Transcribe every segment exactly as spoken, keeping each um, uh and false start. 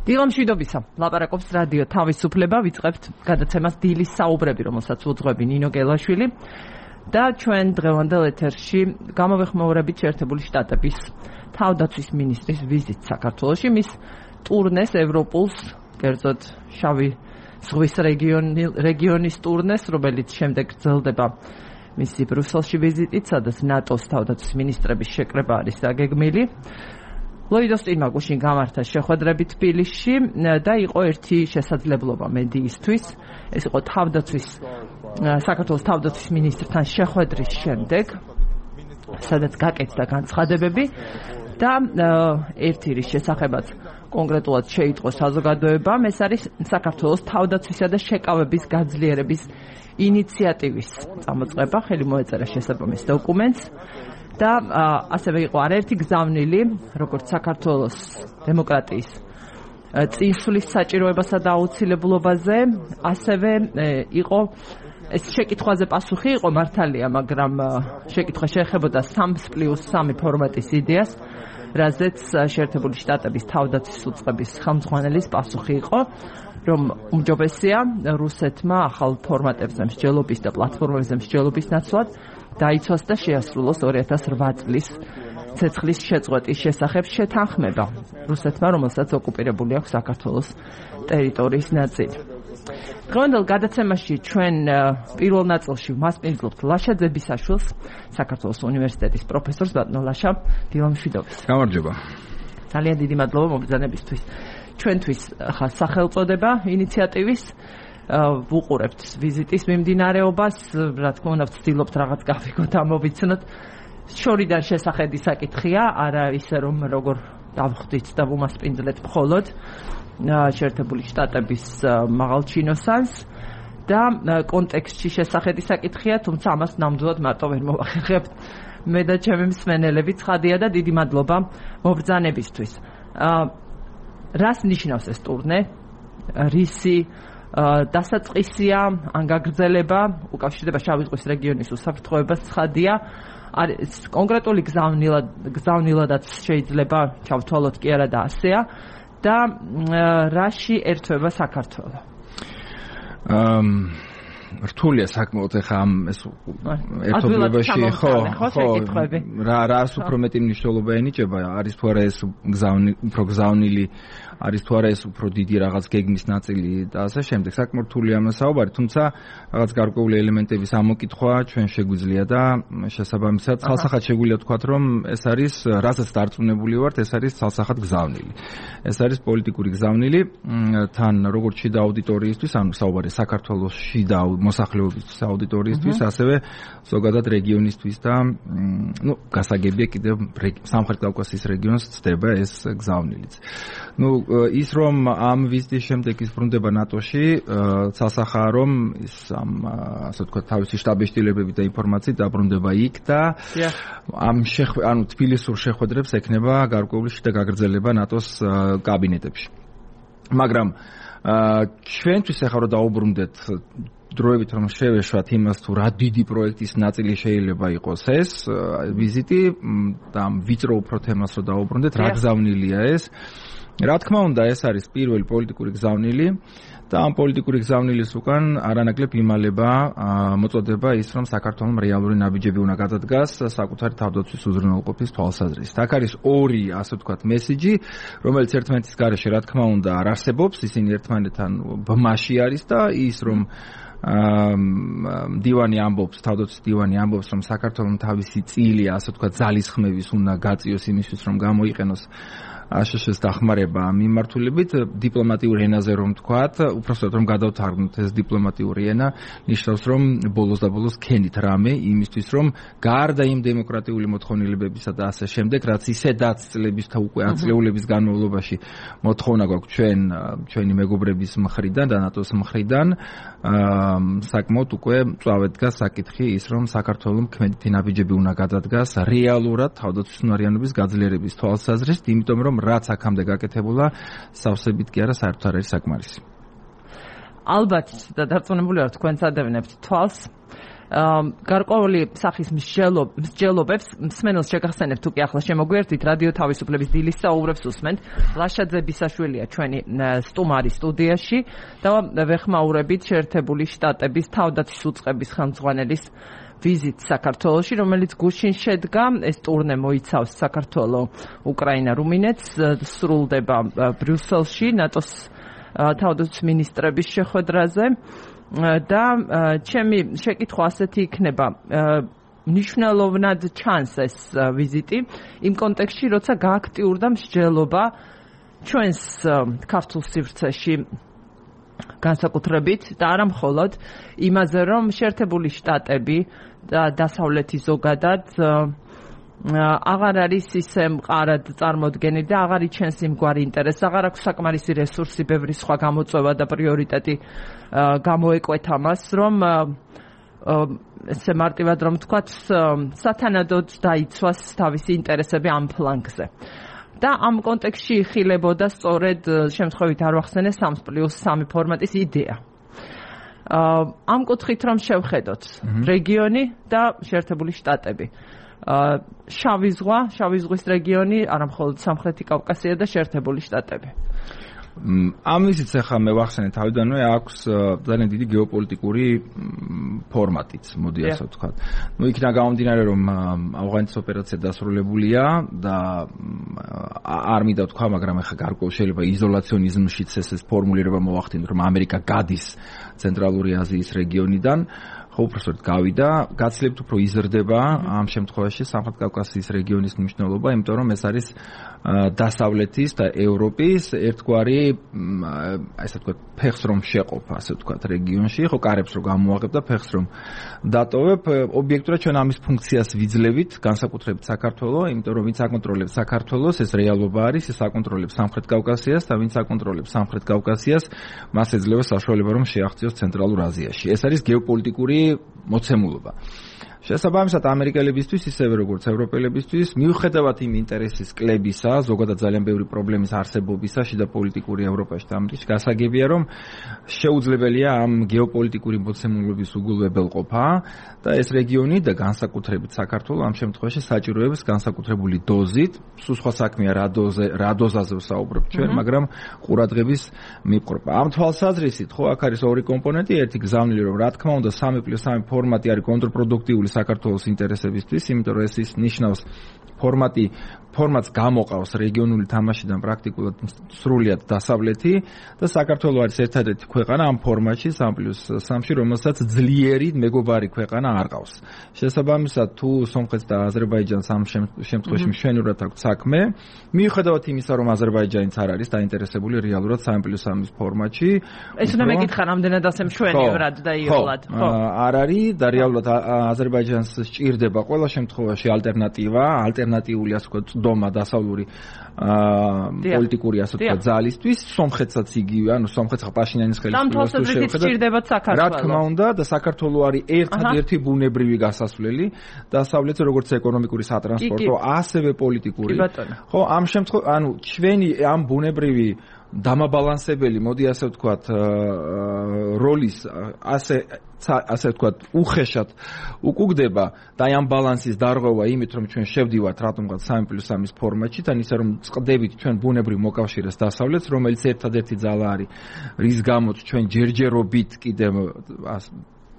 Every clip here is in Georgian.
დილამშვიდობისა, ლაპარაკობს რადიო თავისუფლება, ვიწყებთ გადაცემას დილის საუბრები, რომელსაც უძღვები ნინო გელაშვილი და ჩვენ დღევანდელ ეთერში გამოვეხმაურებით შეერთებული შტატების თავდაცვის მინისტრის ვიზიტს საქართველოში, მის ტურნეს ევროპულს, კერძოდ შავი ზღვის რეგიონის ტურნეს, რომელიც შემდეგ გრძელდება მისი ბრიუსელში ვიზიტით, სადაც ნატოს თავდაცვის მინისტრების შეკრება არის დაგეგმილი. ლოიდოს წინმა გუშინ გამართა შეხვედრები თბილისში და იყო ერთი შესაძლებლობა მედიისთვის. ეს იყო თავდაცვის საქართველოს თავდაცვის მინისტრთან შეხვედრის შემდეგ, სადაც გაკეთდა განცხადებები და ერთი რის შესახებაც კონკრეტულად შეიტყო საზოგადოებამ, ეს არის საქართველოს თავდაცვისა და შეკავების გაძლიერების ინიციატივის წამოწყება, ხელი მოეწერა შესაბამის დოკუმენტს. და ასევე იყო არაერთი გზავნილი, როგორც საქართველოს დემოკრატიის წინსვლის საჭიროებასა და აუცილებლობაზე, ასევე იყო ეს შეკითხვაზე პასუხი იყო მართალია, მაგრამ შეკითხვა შეეხებოდა სამს პლუს სამი ფორმატის იდეას, რაზეც შეერთებული შტატების თავდაცვის უწყების ხელმძღვანელის პასუხი იყო, რომ უმჯობესია რუსეთმა ახალ ფორმატებზე მსჯელობის და პლატფორმებზე მსჯელობის ნაცვლად დაიცვას და შეასრულოს ორი ათას რვა წლის ცეცხლის შეწყვეტის შესახებ შეთანხმება რუსეთმა, რომელსაც ოკუპირებული აქვს საქართველოს ტერიტორიის ნაწილი. დღევანდელ გადაცემაში ჩვენ პირველ ნაწილში ვმასპინძლობთ ლაშა ძებისაშვილს, საქართველოს უნივერსიტეტის პროფესორს. ბატონო ლაშა, დილამშვიდობის. გამარჯობა. ძალიან დიდი მადლობა მობრძანებისთვის. ჩვენთვის ხა სახელწოდება ინიციატივის ვუყურებთ ვიზიტის მიმდინარეობას, რა თქმა უნდა ვცდილობთ რაღაც გავიგოთ, ამოვიცნოთ. შორიდან შესახედი საკითხია, არა ისე რომ როგორ დავხვდით და ვუმასპინძლეთ მხოლოდ შეერთებული შტატების მაღალჩინოსანს და კონტექსტში შესახედი საკითხია, თუმცა ამას ნამდვილად მარტო ვერ მოვახერხებთ მე და ჩემი მსმენელები. ცხადია და დიდი მადლობა მობრძანებისთვის. რას ნიშნავს ეს ტურნე? რისი დასაწყისია, ან გაგრძელება, უკავშირდება შავი ზღვის რეგიონის უსაფრთხოებას, ცხადია. არის კონკრეტული გზავნილად, გზავნილადაც შეიძლება ჩავთვალოთ კი არა და ასეა და რაში ერთვება საქართველო? რთულია საკმაოდ ახლა ამ ეს ერთობლებაში ხო ხო რა რას უფრო მეტი მნიშვნელობა ენიჭება, არის თუ არა ეს გზავნილი, უფრო გზავნილი, არის თუ არა ეს უფრო დიდი რაღაც გეგმის ნაწილი და ასე შემდეგ. საკმაოდ რთულია ამ საუბარი, თუმცა რაღაც გარკვეული ელემენტების ამოკითხვა ჩვენ შეგვიძლია და შესაბამისად ხალხსახად შეგვიძლია თქვათ, რომ ეს არის რასაც დარწმუნებული ვართ, ეს არის ცალსახად გზავნილი. ეს არის პოლიტიკური გზავნილი, თან როგორც შიდა აუდიტორიისთვის, ანუ საუბარი საქართველოს შიდა მოსახლეობის აუდიტორიისთვის, ასევე ზოგადად რეგიონისთვის და ნუ გასაგებია კიდევ სამხრეთ კავკასიის რეგიონს ცდება ეს გზავნილიც. ნუ ის რომ ამ ვიზიტის შემდეგ ის ბრუნდება ნატოში, ცალსახაა რომ ის ამ ასე ვთქვათ თავისი შტაბ-ეშტილებები და ინფორმაციით დაბრუნდება იქ და ამ ანუ თბილისურ შეხვედრებს ექნება გარკვეული შიდა გაგრძელება ნატოს კაბინეტებში. მაგრამ ჩვენთვის ახლა რომ დაუბრუნდეთ დროებით რომ შევეშვათ იმას თუ რა დიდი პროექტის ნაწილი შეიძლება იყოს ეს ვიზიტი და ვიწრო უფრო თემას რომ დაუბრუნდეთ, რა გზავნილია ეს? რა თქმა უნდა, ეს არის პირველი პოლიტიკური გზავნილი და ამ პოლიტიკური გზავნილის უკან არანაკლებ იმალება მოწოდება ის, რომ საქართველოს რეალური ნაბიჯები უნდა გადადგას საკუთარი თავდაცვის უზრუნველყოფის თვალსაზრისით. აქ არის ორი, ასე ვთქვათ, მესიჯი, რომელიც ერთმანეთის გარეშე რა თქმა უნდა არ არსებობს, ისინი ერთმანეთთან ბმაში არის და ის რომ დივანი ამბობს, თავდაცვის დივანი ამბობს, რომ საქართველოს თავისი წილი, ასე ვთქვათ, ძალისხმევის უნდა გაწიოს იმისთვის, რომ გამოიყენოს აშშ-ს დახმარება მიმართულებით დიპლომატიურ ენაზე რომ თქვათ, უпроსტად რომ გადავთარგმნოთ ეს დიპლომატიური ენა, ნიშნავს რომ ბოლოს და ბოლოს ქენით რამე იმისთვის რომ გარდა იმ დემოკრატიული მოთხოვნილებებისა და ასე შემდეგ, რაც ისედაც წლების და უკვე ათწლეულების განმავლობაში მოთხოვნა გვაქვს ჩვენ ჩვენი მეგობრების მხრიდან და ნატოს მხრიდან, საკმაოდ უკვე მწვავედ დგას საკითხი ის რომ საქართველოს ქმედითი ნაბიჯები უნდა გადადგას რეალურად თავდაცვის უნარიანობის გაძლიერების თვალსაზრისით, იმიტომ რომ რაც აქამდე გაკეთებულა, სავსებით კი არა, საერთოდ არ არის საკმარისი. ალბათ და დარწმუნებული ვარ თქვენც ადევნებთ თვალს გარკვეული სახის მსჯელობებს მსმენელს შეგახსენებთ უკვე ახლა შემოგვიერთით რადიო თავისუფლების დილის საუბრებს უსმენთ. ლაშაძე ბისაშვილია ჩვენი სტუმარი სტუდიაში და ვეხმაურებით შეერთებული შტატების თავდაცვის უწყების ხელმძღვანელის ვიზიტ საქართველოში, რომელიც გუშინ შედგა. ეს ტურნე მოიცავს საქართველო, უკრაინა, რუმინეთს, სრულდება ბრიუსელში ნატოს თავდაცვის მინისტრების შეხვედრაზე და ჩემი შეკითხვა ასეთი იქნება. მნიშვნელოვნად ჩანს ეს ვიზიტი იმ კონტექსტში, როცა გააქტიურდა მსჯელობა ჩვენს ქართულ სივრცეში განსაკუთრებით და არა მხოლოდ იმაზე, რომ შეერთებული შტატები და დასავლეთი ზოგადად აღარ არის ისე მყარად წარმოდგენილი და აღარ იჩენს იმგვარი ინტერესს, აღარ აქვს საკმარისი რესურსი, ბევრი სხვა გამოწვევა და პრიორიტეტი გამოეკვეთა მას, რომ ესე მარტივად რომ ვთქვათ, სათანადოდ დაიცვას თავისი ინტერესები ამ ფლანგზე. და ამ კონტექსტში იხილებოდა სწორედ შემთხვევით არ ვახსენე სამს პლუს სამი ფორმატის იდეა. ამ კუთხით რომ შევხედოთ რეგიონი და შეერთებული შტატები. შავი ზღვა, შავი ზღვის რეგიონი, არა მხოლოდ სამხრეთი კავკასია და შეერთებული შტატები. ამისიც ახლა მე ვახსენე თავიდანვე აქვს ძალიან დიდი გეოპოლიტიკური ფორმატიც, მოდი ასე ვთქვათ. ნუ იქნა გამომდინარე რომ ავღანეთის ოპერაცია დასრულებულია და არ მინდა ვთქვა, მაგრამ ახლა გარკვეულ შეიძლება იზოლაციონიზმშიც ეს ფორმულირება მოახდინოთ, რომ ამერიკა გადის ცენტრალური აზიის რეგიონიდან. ხო, უბრალოდ გავიდა, გაცლებთ უფრო იზრდება ამ შემთხვევაში სამხრეთ კავკასიის რეგიონის მნიშვნელობა, იმიტომ რომ ეს არის დასავლეთის და ევროპის ერთგვარი, ასე ვთქვათ, ფეხს რომ შეყოფ, ასე ვთქვათ, რეგიონში, ხო, კარებს რომ გამოაღებ და ფეხს რომ დატოვებ, ობიექტურად ჩვენ ამის ფუნქციას ვიძლევით, განსაკუთრებით საქართველოს, იმიტომ რომ ვინც აკონტროლებს საქართველოს, ეს რეალობა არის, ის აკონტროლებს სამხრეთ კავკასიას და ვინც აკონტროლებს სამხრეთ კავკასიას, მას ეძლევა საშუალება რომ შეაღწიოს ცენტრალურ აზიაში. ეს არის გეოპოლიტიკური მოცემულობა. შესაბამისად ამერიკელებისთვის ისევე როგორც ევროპელებისთვის მიუხედავად იმ ინტერესის კლებისა, ზოგადად ძალიან ბევრი პრობლემის არსებობისა შიდა პოლიტიკური ევროპაში და ამერიკაში გასაგებია რომ შეუძლებელია ამ გეოპოლიტიკური მოცემულობის უგულებელყოფა და ეს რეგიონი და განსაკუთრებით საქართველო ამ შემთხვევაში საჭიროებს განსაკუთრებული დოზით, სულ სხვა საქმეა რა დოზე, რა დოზაზე ვსაუბრობ ჩვენ, მაგრამ ყურადღების მიპყრობა. ამ თვალსაზრისით ხო აქ არის ორი კომპონენტი, ერთი გზავნილი რომ რა თქმა უნდა სამი პლუს სამი ფორმატი არის კონტრპროდუქტიული საქართველოს ინტერესებისთვის, იმიტომ რომ ეს ის ნიშნავს ფორმატი ფორმატს გამოყავს რეგიონული თამაშიდან პრაქტიკულად სრულიად დასავლეთი და საქართველო არის ერთადერთი ქვეყანა ამ ფორმატში სამი პლუს სამში, რომელსაც ძლიერი მეგობარი ქვეყანა არ ყავს. შესაბამისად თუ სომხეთს და აზერბაიჯანს ამ შემთხვევაში მშვენივრად აქვს საქმე, მიუხედავად იმისა, რომ აზერბაიჯანიც არ არის დაინტერესებული რეალურად სამი პლუს სამის ფორმატში. ეს უნდა მეკითხა, რამდენად ასე მშვენივრად და იოლად, ხო? არ არის და რეალურად აზერბაიჯანს სჭირდება ყველა შემთხვევაში ალტერნატივა, ალტერნატიული ასე ვთქვათ დომა დასავლური პოლიტიკური ასე ვთქვათ ძალისთვის, სომხეთსაც იგივე, ანუ სომხეთს პაშინიანის ხელისუფლებას შეხედათ საქართველოს. რა თქმა უნდა და საქართველო არის ერთადერთი ბუნებრივი გასასვლელი დასავლეთზე, როგორც ეკონომიკური, სატრანსპორტო, ასევე პოლიტიკური. ხო, ამ შემთხვევაში, ანუ ჩვენი ამ ბუნებრივი დამაბალანსებელი, მოდი ასე ვთქვათ, როლის ასე ასე ვთქვათ, უხეშად უკუგდება და ამ ბალანსის დარღვევა იმით, რომ ჩვენ შევდივართ რატომღაც სამი პლუს სამის ფორმატში, თან ისე რომ წყდებით ჩვენ ბუნებრივ მოკავშირეს დასავლეთს, რომელიც ერთადერთი ძალა არის, რის გამოც ჩვენ ჯერჯერობით კიდევ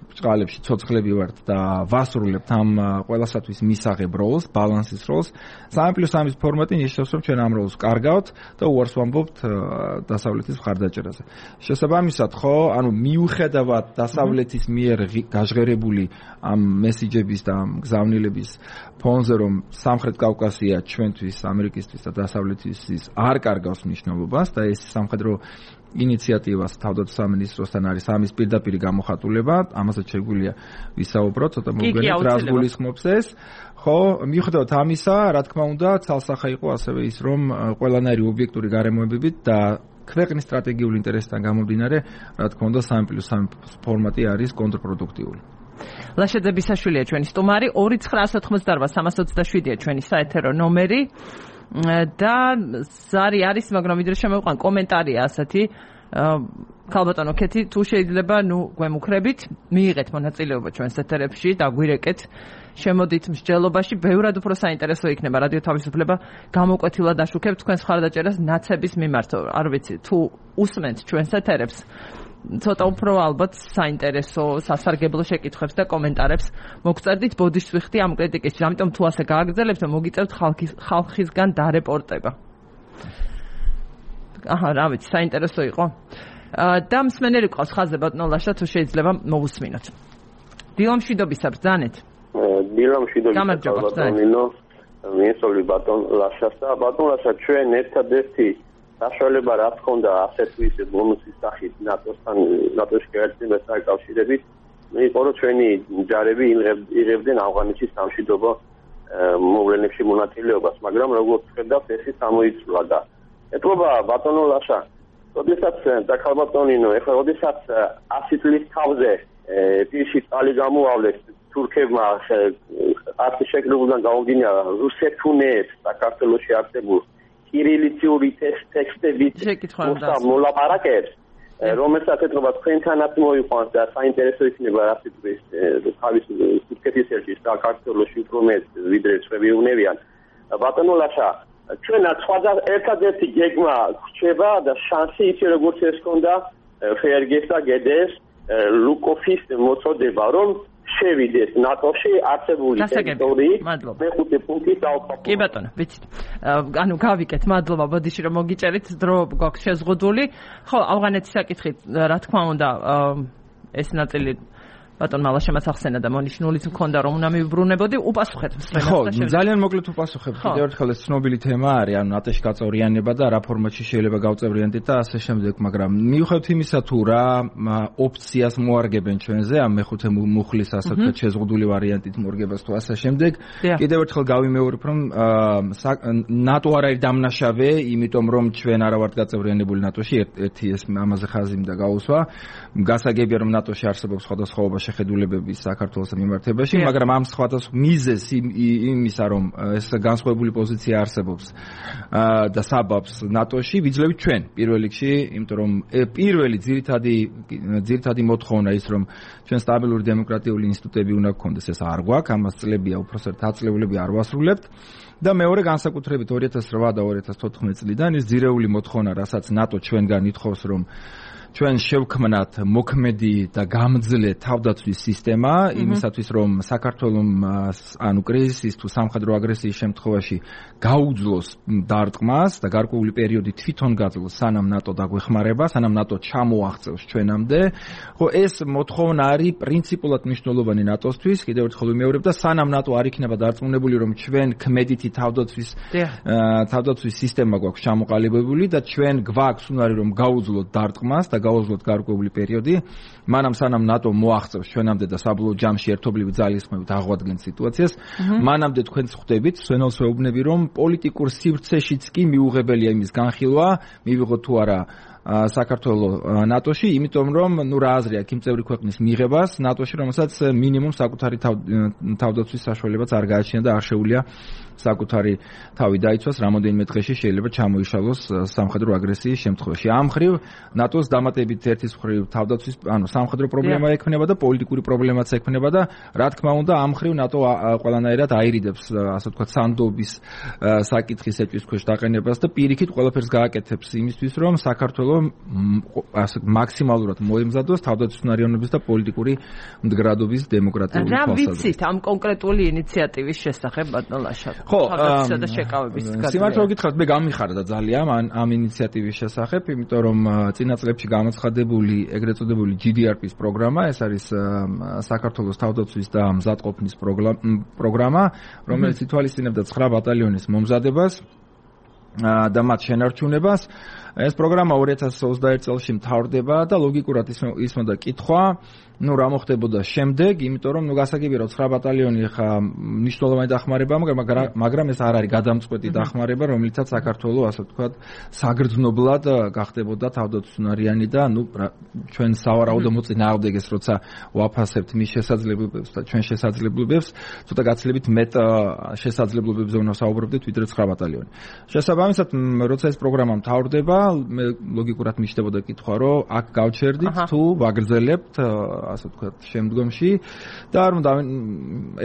ბრწყალებში ცოცხლები ვართ და ვასრულებთ ამ ყველასათვის მისაღებ როლს, ბალანსის როლს. სამი პლუს სამის ფორმატი ნიშნავს, რომ ჩვენ ამ როლს კარგავთ და უარს ვამბობთ დასავლეთის მხარდაჭერაზე. შესაბამისად, ხო, ანუ მიუხედავად დასავლეთის მიერ გაჟღერებული ამ მესიჯების და ამ გზავნილების ფონზე, რომ სამხრეთ კავკასია ჩვენთვის, ამერიკისთვის და დასავლეთისთვის არ კარგავს მნიშვნელობას და ეს სამხედრო ინიციატივას თავდაცვის სამინისტროსთან არის ამის პირდაპირ გამოხატულება, ამასაც შეგვიძლია ვისაუბროთ, ცოტა მოგვიგონებთ რას გულისხმობს ეს. ხო, მიუხედავად ამისა, რა თქმა უნდა, ცალსახა იყო ასევე ის, რომ ყველანაირი ობიექტური გარემოებებით და ქვეყნის სტრატეგიული ინტერესთან გამომდინარე, რა თქმა უნდა, სამი პლუს სამი ფორმატი არის კონტრპროდუქტიული. ლაშაძე ბისაშვილია ჩვენი სტუმარი, ორი ცხრა ათოთხმოცდაარბა სამას ოცდაშვიდია ჩვენი საეთერო ნომერი. და ზარი არის, მაგრამ ვიდრე შემოვყვან კომენტარია ასეთი ქალბატონო ქეთი, თუ შეიძლება, ნუ გვემუქრებით, მიიღეთ მონაწილეობა ჩვენს ეთერებში, დაგვირეკეთ, შემოდით მსჯელობაში, ბევრად უფრო საინტერესო იქნება რადიო თავისუფლება გამოკვეთილად აშუქებთ თქვენს მხარდაჭერას ნაცების მიმართ. არ ვიცი, თუ უსმენთ ჩვენს ეთერებს, ცოტა უფრო ალბათ საინტერესო, სასარგებლო შეკითხვებს და კომენტარებს მოგწერდით ბოდიშს ვიხდი ამ კრიტიკის. ამიტომ თუ ასე გააგრძელებთ, მოგიწევთ ხალხის ხალხისგან დარეპორტება. აჰა, რა ვიცი, საინტერესო იყო. და მსმენელი ყავს ხაზზე ბატონო ლაშა, თუ შეიძლება მოვუსმინოთ. დილამშვიდობისა ბრძანეთ. დილამშვიდობისა ბატონინო, მიესწრები ბატონ ლაშას და ბატონ ლაშა, ჩვენ ერთადერთი საშუალება რა თქონდა ასეთვise ბონუსის სახით ნატოსთან ნატოში გაერთიანებას დაკავშირებით, იყო რომ ჩვენი ჯარები იღებდნენ ავღანეთის სამშვიდობო მოვლენებში მონაწილეობას, მაგრამ როგორც ხედავთ, ეს გამოიწვია და ეთქობა ბატონო ლაშა, როდესაც და ქალბატონინო, ეხლა როდესაც ასი წლის თავზე პირში წალი გამოავლეს თურქებმა ათი შეკრებულიდან გამოგინა რუსეთუნებს საქართველოში არსებულ კირილიციური ტექსტებით მოლაპარაკებს, რომელსაც ეთქობა თქვენთანაც მოიყვანს და საინტერესო იქნება რა სიტყვის თავის თურქეთის ელჩის საქართველოში უფრო მეტ ვიდრე სხვები უნებიან. ბატონო ლაშა, ჩვენაც სხვა ერთადერთი გეგმა გვჭება და შანსი ისე როგორც ეს ქონდა ფერგეს და გედეს ლუკოფის მოწოდება, რომ შევიდეს ნატოში არსებული ტერიტორიით მეხუთე პუნქტის დაუხმობა. კი ბატონო, ვიცით. ანუ გავიკეთ, მადლობა ბოდიში რომ მოგიჭერით, დრო გვაქვს შეზღუდული. ხო, ავღანეთის საკითხით, რა თქმა უნდა, ეს ნაწილი ბატონმა ლაშემაც ახსენა და მონიშნულიც მქონდა რომ უნდა მივბრუნებოდი, უპასუხეთ მსმენელს. ხო, ძალიან მოკლედ უპასუხებ. კიდევ ერთხელ ეს ცნობილი თემა არის, ანუ ნატოში გაწევრიანება და რა ფორმატში შეიძლება გავწევრიანდეთ და ასე შემდეგ, მაგრამ მიუხედავად იმისა თუ რა ოპციას მოარგებენ ჩვენზე, ამ მეხუთე მუხლის ასე ვთქვათ შეზღუდული ვარიანტით მორგებას თუ ასე შემდეგ, კიდევ ერთხელ გავიმეორებ, რომ ნატო არ არის დამნაშავე, იმიტომ რომ ჩვენ არა ვართ გაწევრიანებული ნატოში, ერთი ეს ამაზე ხაზი მინდა გაუსვა. გასაგებია რომ ნატოში არსებობს სხვადასხვა შეხედულებები საქართველოს მიმართებაში, მაგრამ ამ სხვადასხვა მიზეზს იმისა, რომ ეს განსხვავებული პოზიცია არსებობს და საბაბს ნატოში ვიძლევით ჩვენ პირველ რიგში, იმიტომ რომ პირველი ძირითადი ძირითადი მოთხოვნა ის, რომ ჩვენ სტაბილური დემოკრატიული ინსტიტუტები უნდა გქონდეს, ეს არ გვაქვს, ამას წლებია უпроსტად აწლეულები არ ვასრულებთ. და მეორე განსაკუთრებით ორი ათას რვა და ორი ათას თოთხმეტ წლიდან ის ძირეული მოთხოვნა, რასაც ნატო ჩვენგან ითხოვს, რომ ჩვენ შევქმნათ მოქმედი და გამძლე თავდაცვის სისტემა, იმისათვის რომ საქართველოს ანუ კრიზისის თუ სამხედრო აგრესიის შემთხვევაში გაუძლოს დარტყმას და გარკვეული პერიოდი თვითონ გაძლოს, სანამ ნატო დაგვეხმარება, სანამ ნატო ჩამოაღწევს ჩვენამდე. ხო, ეს მოთხოვნა არის პრინციპულად მნიშვნელოვანი ნატოსთვის, კიდევ ერთხელ ვიმეორებ და სანამ ნატო არ იქნება დარწმუნებული, რომ ჩვენ ქმედითი თავდაცვის თავდაცვის სისტემა გვაქვს ჩამოყალიბებული და ჩვენ გვაქვს უნარი რომ გაუძლოთ დარტყმას და გავუძლოთ გარკვეული პერიოდი, მანამ სანამ ნატო მოაღწევს ჩვენამდე და საბოლოო ჯამში ერთობლივი ძალისხმევით აღვადგენს სიტუაციას, მანამდე თქვენც ხვდებით, სვენელს ვეუბნები, რომ პოლიტიკურ სივრცეშიც კი მიუღებელია იმის განხილვა, მივიღოთ თუ არა საქართველოს ნატოში, იმიტომ რომ ნუ რა აზრი აქვს იმ წევრი ქვეყნის მიღებას ნატოში, რომელსაც მინიმუმ საკუთარი თავდაცვის საშუალებაც არ გააჩნია და არ შეუძლია საკუთარი თავი დაიცვას, რამოდენიმე დღეში შეიძლება ჩამოიშალოს სამხედრო აგრესიის შემთხვევაში. ამ მხრივ ნატოს დამატებით ერთის მხრივ თავდაცვის, ანუ სამხედრო პრობლემა ექნება და პოლიტიკური პრობლემაც ექნება და რა თქმა უნდა ამ მხრივ ნატო ყველანაირად აირიდებს, ასე ვთქვათ, სანდობის საკითხის ეჭვის ქვეშ დაყენებას და პირიქით ყველაფერს გააკეთებს იმისთვის, რომ საქართველოს ასე მაქსიმალურად მოემზადოს თავდაცვის უნარიანობის და პოლიტიკური მდგრადობის დემოკრატიული თვალსაზრისით. რა ვიცით ამ კონკრეტული ინიციატივის შესახებ ბატონ ლაშა? ხო, და შეკავების გაგრძელება. სიმართლე გითხრათ, მე გამიხარდა ძალიან ამ ამ ინიციატივის შესახებ, იმიტომ რომ წინა წლებში გამოცხადებული ეგრეთ წოდებული ჯი დი არ პის პროგრამა, ეს არის საქართველოს თავდაცვის და მზადყოფნის პროგრამა, რომელიც ითვალისწინებდა ცხრა ბატალიონის მომზადებას და მათ შენარჩუნებას. ეს პროგრამა ორი ათას ოცდაერთ წელს მთავრდება და ლოგიკურად ისმოდა კითხვა, ну რა მოხდებოდა შემდეგ, იმიტომ რომ ნუ გასაგებია რომ ცხრა ბატალიონი ხა მნიშვნელოვანი დახმარება, მაგრამ ეს არ არის გადამწყვეტი დახმარება, რომლითაც საქართველოს ასე ვთქვათ საგრძნობლად გახდებოდა თავდაცვისუნარიანი და ნუ ჩვენ სავარაუდო მოწინააღმდეგეს როცა ვაფასებთ მის შესაძლებლობებს და ჩვენ შესაძლებლობებს, ცოტა გაცილებით მეტ შესაძლებლობებზე უნდა საუბრობდეთ ვიდრე ცხრა ბატალიონი. შესაბამისად, როცა ეს პროგრამა მთავრდება, მე ლოგიკურად მიჩნდებოდა კითხვა, რომ აქ გავჩერდით თუ ვაგრძელებთ, ასე ვთქვათ, შემდგომში და არ უნდა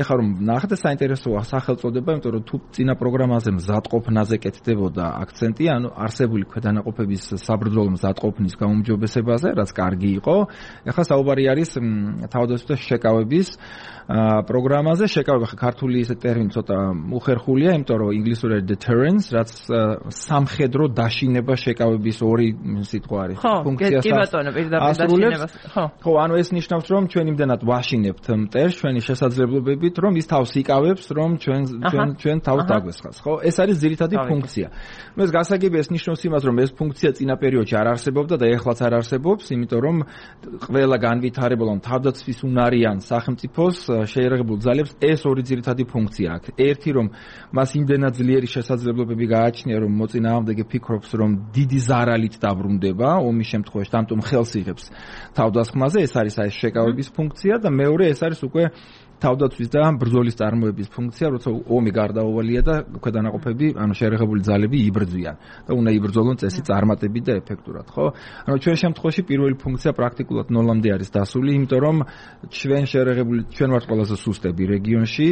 ეხლა რომ ნახეთ საინტერესოა სახელწოდება, იმიტომ რომ თუ წინა პროგრამაზე მზადყოფნაზე კეთდებოდა აქცენტი, ანუ არსებული ქვედანაყოფების საბრძოლო მზადყოფნის გაუმჯობესებაზე, რაც კარგი იყო. ეხლა საუბარი არის თავდაცვითი შეკავების პროგრამაზე. შეკავება ხა ქართული ესე ტერმინი ცოტა უხერხულია, იმიტომ რომ ინგლისური არის deterrence, რაც სამხედრო დაშინება შეკავების ორი სიტყვა არის. ფუნქციას კი ბატონო, პირდაპირ დაშინებას. ხო. ხო, ანუ ეს ნიშნავს, რომ ჩვენ იმდენად ვაშინებთ მტერს ჩვენი შესაძლებლობებით, რომ ის თავს იკავებს, რომ ჩვენ ჩვენ ჩვენ თავს დაგვესხას. ხო, ეს არის ძირითადი ფუნქცია. მე ეს გასაგებია, ეს ნიშნავს იმას, რომ ეს ფუნქცია წინა პერიოდში არ არსებობდა და ეხლაც არ არსებობს, იმიტომ რომ ყველა განვითარებულ თავდაცვის უნარიან სახელმწიფოს შეერაღებულ ძალებს ეს ორი ძირითადი ფუნქცია აქვს. ერთი რომ მას იმდენად ძლიერი შესაძლებლობები გააჩნია, რომ მოწინააღმდეგე ფიქრობს, რომ დიდი ზარალით დაბრუნდება, ომის შემთხვევაში ამიტომ ხელს იღებს თავდასხმაზე, ეს არის აი შეკავების ფუნქცია და მეორე ეს არის უკვე თავდაცვის და ბრძოლის წარმოების ფუნქცია, როცა ომი გარდაუვალია და ქვედანაყოფები, ანუ შეერაღებული ძალები იბრძვიან და უნდა იბრძოლონ წესი წარმატებით და ეფექტურად, ხო? ანუ ჩვენ შემთხვევაში პირველი ფუნქცია პრაქტიკულად ნოლამდე არის დასული, იმიტომ რომ ჩვენ შეერაღებული ჩვენ ვართ ყველაზე სუსტები რეგიონში,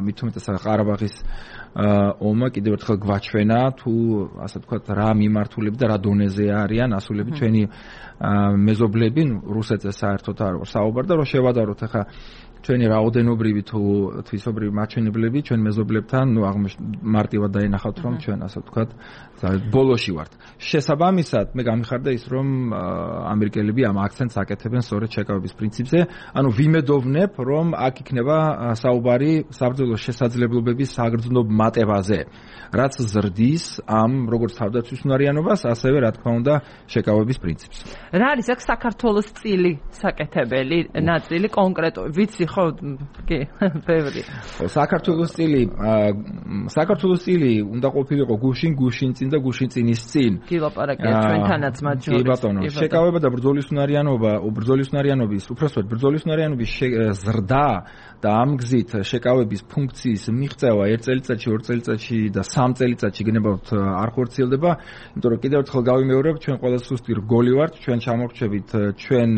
მით უმეტესად ყარაბაღის ომმა კიდევ ერთხელ გვაჩვენა თუ ასე ვთქვათ რა მიმართულები და რა დონეზე არიან ასულები ჩვენი მეზობლები, რუსეთზე საერთოდ არ ვარ საუბარ და რომ შევადაროთ ახლა ჩვენი რაოდენობრივი თუ თვისობრივი მაჩვენებლები ჩვენ მეზობლებთან, ნუ მარტივად დაინახავთ, რომ ჩვენ ასე ვთქვათ, ბოლოში ვართ. შესაბამისად, მე გამიხარდა ის, რომ ამერიკელები ამ აქცენტს აკეთებენ სწორედ შეკავების პრინციპზე, ანუ ვიმედოვნებ, რომ აქ იქნება საუბარი საბრძოლო შესაძლებლობების საგრძნობ მატებაზე, რაც ზრდის ამ როგორც თავდაცვის უნარიანობას, ასევე რა თქმა უნდა, შეკავების პრინციპს. რა არის აქ საქართველოს წილი საკეთებელი ნაწილი კონკრეტულად? ვიცი ხო, კი, ბევრი. ხო, საქართველოს წილი, საქართველოს წილი უნდა ყოფილიყო გუშინ, გუშინ წინ და გუშინ წინის წინ. კი, ლაპარაკია ჩვენთანაც მათ შორის. კი, ბატონო, შეკავება და ბრძოლის უნარიანობა, ბრძოლის უნარიანობის, უпроსტოდ ბრძოლის უნარიანობის ზრდა და ამ გზით შეკავების ფუნქციის მიღწევა ერთ წელიწადში, ორ წელიწადში და სამ წელიწადში გნებავთ არ ხორციელდება, იმიტომ რომ კიდევ ერთხელ გავიმეორებ, ჩვენ ყველა სუსტი რგოლი ვართ, ჩვენ ჩამორჩებით ჩვენ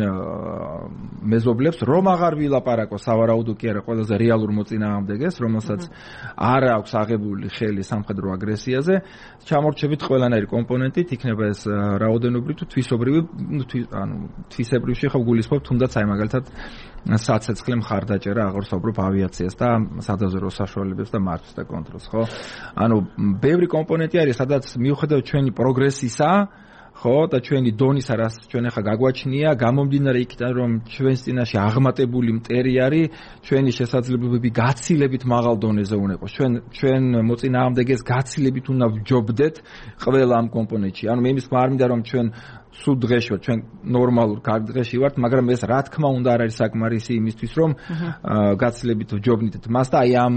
მეზობლებს, რომ აღარ ვილაპარაკო სავარაუდო კი არა ყველაზე რეალურ მოწინააღმდეგეს, რომელსაც არ აქვს აღებული ხელი სამხედრო აგრესიაზე, ჩამორჩებით ყველანაირი კომპონენტით, იქნება ეს რაოდენობრივი თუ თვისობრივი, ანუ თვისებრივში ხო გულისხმობ თუნდაც აი მაგალითად საცეცხლე მხარდაჭერა აღორსაუბრობ ავიაციას და სადაზვერვო საშუალებებს და მართვის და კონტროლს, ხო? ანუ ბევრი კომპონენტი არის, სადაც მიუხედავად ჩვენი პროგრესისა, ხო, და ჩვენი დონისა, რაც ჩვენ ახლა გაგვაჩნია, გამომდინარე იქიდან, რომ ჩვენს წინაშე აღმატებული მტერი არის, ჩვენი შესაძლებლობები გაცილებით მაღალ დონეზე უნდა იყოს. ჩვენ ჩვენ მოწინააღმდეგეს გაცილებით უნდა ვჯობდეთ ყველა ამ კომპონენტში. ანუ მე იმის არ მინდა რომ ჩვენ სულ დღეში ვართ, ჩვენ ნორმალურ კარგ დღეში ვართ, მაგრამ ეს რა თქმა უნდა არ არის საკმარისი იმისთვის, რომ გაცილებით ვჯობნით მას და აი ამ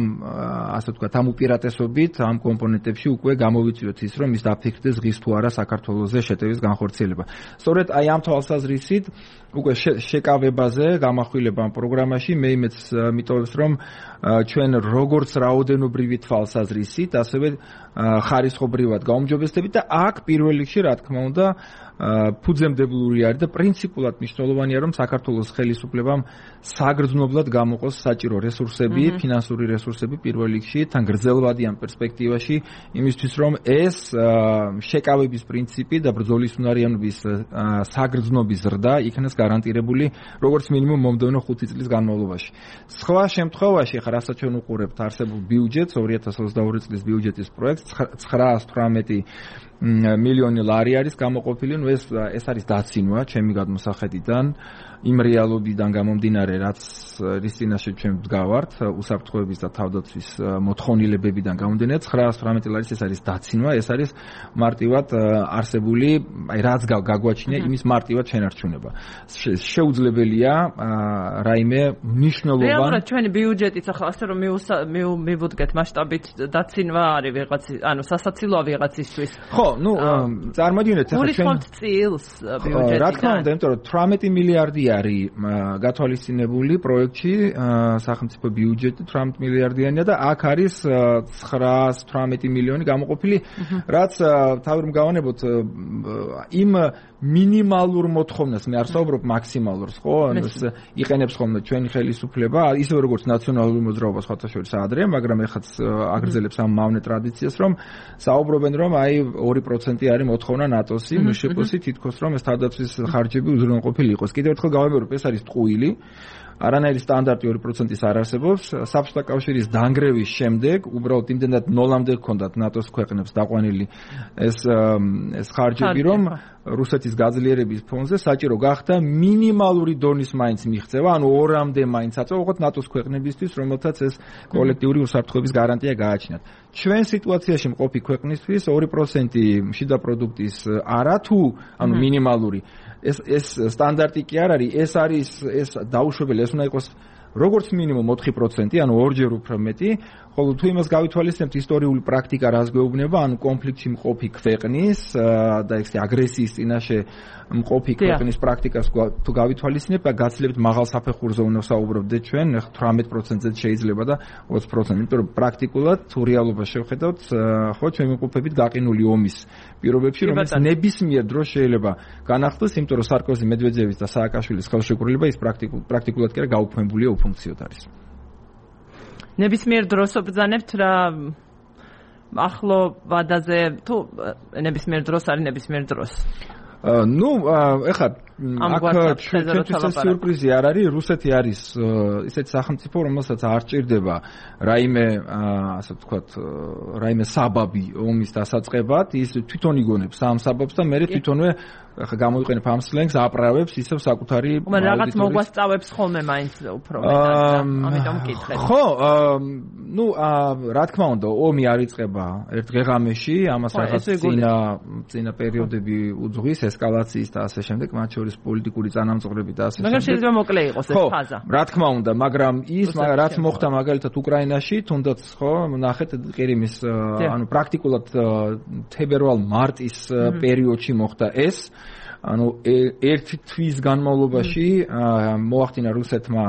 ასე ვთქვათ, ამ უპირატესობით, ამ კომპონენტებში უკვე გამოვიწვიოთ ის, რომ ის დაფიქრდეს ღირს თუ არა საქართველოზე შეტევის განხორციელება. სწორედ აი ამ თვალსაზრისით უკვე შეკავებაზე გამახვილება ამ პროგრამაში მე იმეც მიტოვებს, რომ ჩვენ როგორც რაოდენობრივი თვალსაზრისით, ასევე ხარისხობრივად გაუმჯობესდებით და აქ პირველ რიგში რა თქმა უნდა ფუძემდებლური არის და პრინციპულად მნიშვნელოვანია, რომ საქართველოს ხელისუფლებამ საგრძნობლად გამოყოს საჭირო რესურსები, ფინანსური რესურსები პირველ რიგში, თან გრძელვადიან პერსპექტივაში, იმისთვის რომ ეს შეკავების პრინციპი და ბრძოლის უნარიანობის საგრძნობის ზრდა იქნას გარანტირებული, როგორც მინიმუმ მომდევნო ხუთი წლის განმავლობაში. სხვა შემთხვევაში, ხა რასაც ჩვენ უყურებთ არსებულ ბიუჯეტს, ორი ათას ოცდაორი წლის ბიუჯეტის პროექტს ცხრაას თვრამეტი მილიონი ლარი არის გამოყოფილი, ნუ ეს ეს არის დაცინვა ჩემი გადმოსახედიდან იმ რეალობიდან გამომდინარე, რაც რის წინაშე ჩვენ ვდგავართ, უსაფრთხოების და თავდაცვის მოთხოვნილებებიდან გამომდინარე, ცხრაას თვრამეტი ლარის ეს არის დაცინვა, ეს არის მარტივად არსებული, აი რაც გაგვაჩნია, იმის მარტივად შენარჩუნება. შეუძლებელია რაიმე მნიშვნელოვანი რეალურად ჩვენი ბიუჯეტიც ახლა ასე რომ მივუდგეთ მასშტაბით დაცინვა არის ვიღაც, ანუ სასაცილოა ვიღაცისთვის. ხო, ნუ წარმოგიდგენთ ახლა ჩვენ გულისხმობთ წილს ბიუჯეტიდან. რა თქმა უნდა, იმიტომ რომ თვრამეტი მილიარდია არის გათვალისწინებული პროექტში სახელმწიფო ბიუჯეტი თვრამეტ მილიარდიანია და აქ არის ცხრაას თვრამეტი მილიონი გამოყოფილი, რაც თავი რომ გავანებოთ იმ მინიმალურ მოთხოვნას, მე არ საუბრობ მაქსიმალურს, ხო? იყენებს ხოლმე ჩვენი ხელისუფლება, ისე როგორც ნაციონალური მოძრაობა სხვათა შორის ადრე, მაგრამ ეხაც აგრძელებს ამ მავნე ტრადიციას, რომ საუბრობენ, რომ აი ორი პროცენტი არის მოთხოვნა ნატოსი, მშპ-ში თითქოს რომ ეს თავდაცვის ხარჯები უზრუნველყოფილი იყოს. კიდევ ერთხელ გავამეორებ, ეს არის ტყუილი. არანაირი სტანდარტი ორი პროცენტის არ არსებობს. საბჭოთა კავშირის დანგრევის შემდეგ უბრალოდ იმდენად ნოლამდე ჰქონდათ ნატოს ქვეყნებს დაყვანილი ეს ეს ხარჯები, რომ რუსეთის გაძლიერების ფონზე საჭირო გახდა მინიმალური დონის მაინც მიღწევა, ანუ ორამდე მაინც აწევა ნატოს ქვეყნებისთვის, რომელთაც ეს კოლექტიური უსაფრთხოების გარანტია გააჩნიათ. ჩვენ სიტუაციაში მყოფი ქვეყნისთვის ორი პროცენტი შიდა პროდუქტის არა თუ, ანუ მინიმალური ეს ეს სტანდარტი კი არ არის, ეს არის ეს დაუშვებელი, ეს უნდა იყოს როგორც მინიმუმ ოთხი პროცენტი, ანუ ორჯერ უფრო მეტი, ხოლო თუ იმას გავითვალისწინებთ ისტორიული პრაქტიკა რას გვეუბნება, ანუ კონფლიქტში მყოფი ქვეყნის და ეს აგრესიის წინაშე მყოფი ქვეყნის პრაქტიკას თუ გავითვალისწინებთ, გაცლებთ მაღალ საფეხურზე უნდა საუბრობდეთ ჩვენ, თვრამეტ პროცენტზე შეიძლება და ოცი პროცენტი, იმიტომ რომ პრაქტიკულად თუ რეალობას შევხედავთ, ხო, ჩვენ ვიმყოფებით გაყინული ომის პირობებში, რომელიც ნებისმიერ დროს შეიძლება განახლდეს, იმიტომ რომ სარკოზი, მედვედევის და სააკაშვილის ხელშეკრულება ის პრაქტიკულად კი არა გაუქმებულია, უფუნქციოდ არის. ნებისმიერ დროს ვბრძანებთ რა ახლო ვადაზე თუ ნებისმიერ დროს არის ნებისმიერ დროს. ნუ ეხლა აქ ჩვენთვის ეს სიურპრიზი არ არის, რუსეთი არის ისეთი სახელმწიფო, რომელსაც არ ჭირდება რაიმე ასე ვთქვათ, რაიმე საბაბი ომის დასაწყებად, ის თვითონ იგონებს ამ საბაბს და მე თვითონვე ახლა გამოიყენებ ამ სლენგს, აპრავებს ისევ საკუთარი მაგრამ რაღაც მოგვასწავებს ხოლმე მაინც უფრო მეტად, ამიტომ მკითხეთ. ხო, ნუ რა თქმა უნდა, ომი არ იწყება ერთ დღე-ღამეში, ამას რაღაც წინა წინა პერიოდები უძღვის, ესკალაციის და ასე შემდეგ, მათ შორის პოლიტიკური წანამწყრები და ასე შემდეგ. მაგრამ შეიძლება მოკლე იყოს ეს ფაზა. რა თქმა უნდა, მაგრამ ის რაც მოხდა მაგალითად უკრაინაში, თუნდაც ხო, ნახეთ ყირიმის, ანუ პრაქტიკულად თებერვალ-მარტის პერიოდში მოხდა ეს. ანუ ერთი თვის განმავლობაში მოახდინა რუსეთმა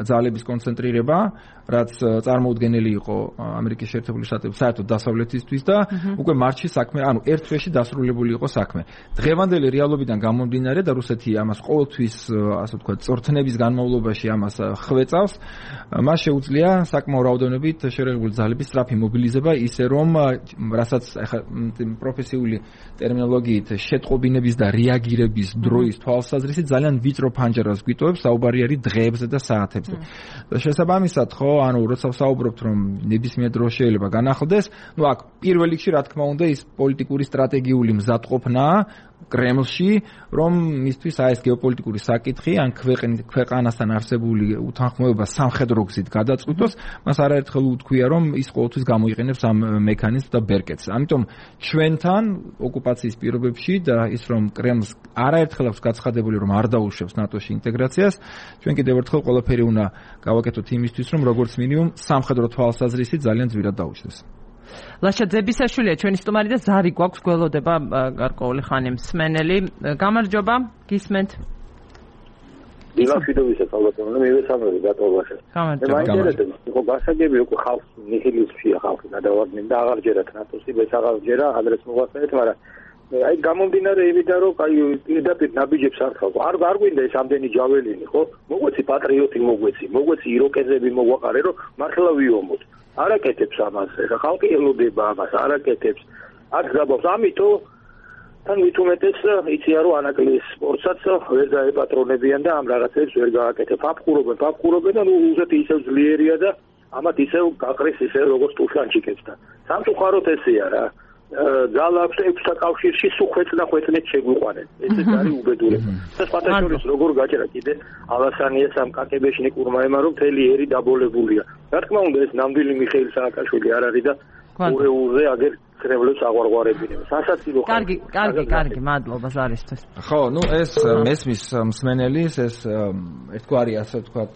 ძალების კონცენტრირება, რაც წარმოუდგენელი იყო ამერიკის შეერთებული შტატების საერთოდ დასავლეთისთვის და უკვე მარტში საქმე, ანუ ერთ თვეში დასრულებული იყო საქმე. დღევანდელი რეალობიდან გამომდინარე და რუსეთი ამას ყოველთვის, ასე ვთქვათ, წორთნების განმავლობაში ამას ხვეწავს, მას შეუძლია საკმაო რაოდენობით შერეღებული ძალების სწრაფი მობილიზება, ისე რომ რასაც ახლა პროფესიული ტერმინოლოგიით შეტყობინების და რეაგირების დროის თვალსაზრისით ძალიან ვიწრო ფანჯარას გვიტოვებს, საუბარი არის დღეებზე და საათებზე. და შესაბამისად, ხო, ანუ როცა ვსაუბრობთ, რომ ნებისმიერ დროს შეიძლება განახლდეს, ну აქ პირველ რიგში რა თქმა უნდა ის პოლიტიკური სტრატეგიული მზადყოფნაა კრემლში, რომ მისთვის აი ეს გეოპოლიტიკური საკითხი ან ქვეყანასთან არსებული უთანხმოება სამხედრო გზით გადაწყვიტოს, მას არაერთხელ უთქვია, რომ ის ყოველთვის გამოიყენებს ამ მექანიზმს და ბერკეტს. ამიტომ ჩვენთან ოკუპაციის პირობებში და ის რომ კრემლს არაერთხელ აქვს გაცხადებული, რომ არ დაუშვებს ნატოში ინტეგრაციას, ჩვენ კიდევ ერთხელ ყველაფერი უნდა გავაკეთოთ იმისთვის, რომ როგორც მინიმუმ სამხედრო თვალსაზრისით ძალიან ძვირად დაუშვდეს. ლაშა ძებისაშვილია ჩვენი სტუმარი და ზარი გვაქვს გველოდება გარკვეული ხანი მსმენელი. გამარჯობა, გისმენთ. დილაშიდობისა ალბათო, მე ვესწავლე გატოვаше. გამარჯობა. მაინტერესებს, ხო გასაგები უკვე ხალხს ნიჰილიზმშია ხალხი გადავარდნენ და აღარჯერათ ნატოსი, ეს აღარჯერა ადრეს მოგვასწრეთ, მაგრამ აი გამომდინარე იმიდან რომ აი პირდაპირ ნაბიჯებს არ ხავ. არ არ გვინდა ეს ამდენი ჯაველინი, ხო? მოგვეცი პატრიოტი მოგვეცი, მოგვეცი იროკეზები მოგვაყარე, რომ მართლა ვიომოთ. არაკეთებს ამას, ეხა ხალხი ელოდება ამას, არაკეთებს. აქ გაბავს, ამიტომ თან მithumetes იციან რომ ანაკლის სპორტსაც ვერ დაეპატრონებიან და ამ რაღაცებს ვერ გააკეთებ. აფხურობენ, აფხურობენ და ნუ უზეთი ისევ ძლიერია და ამათ ისევ გაყრის ისევ როგორც ტუშანჩიკებს და სამწუხაროდ ესეა რა. ძალა აქვს ექვსთა კავშირში სულ ხვეწდა ხვეწნით შეგვიყვანენ. ესეც არის უბედურება. და სხვათა შორის როგორ გაჭერა კიდე ალასანიას ამ კაკებეშნიკურმა ემარო მთელი ერი დაბოლებულია. რა თქმა უნდა ეს ნამდვილი მიხეილ სააკაშვილი არ არის და ურეულზე აგერ ხრევლებს აღვარღვარებინებს. სასაცილო ხალხი. კარგი, კარგი, კარგი, მადლობა ზარისთვის. ხო, ну ეს მესმის მსმენელის ეს ერთგვარი ასე ვთქვათ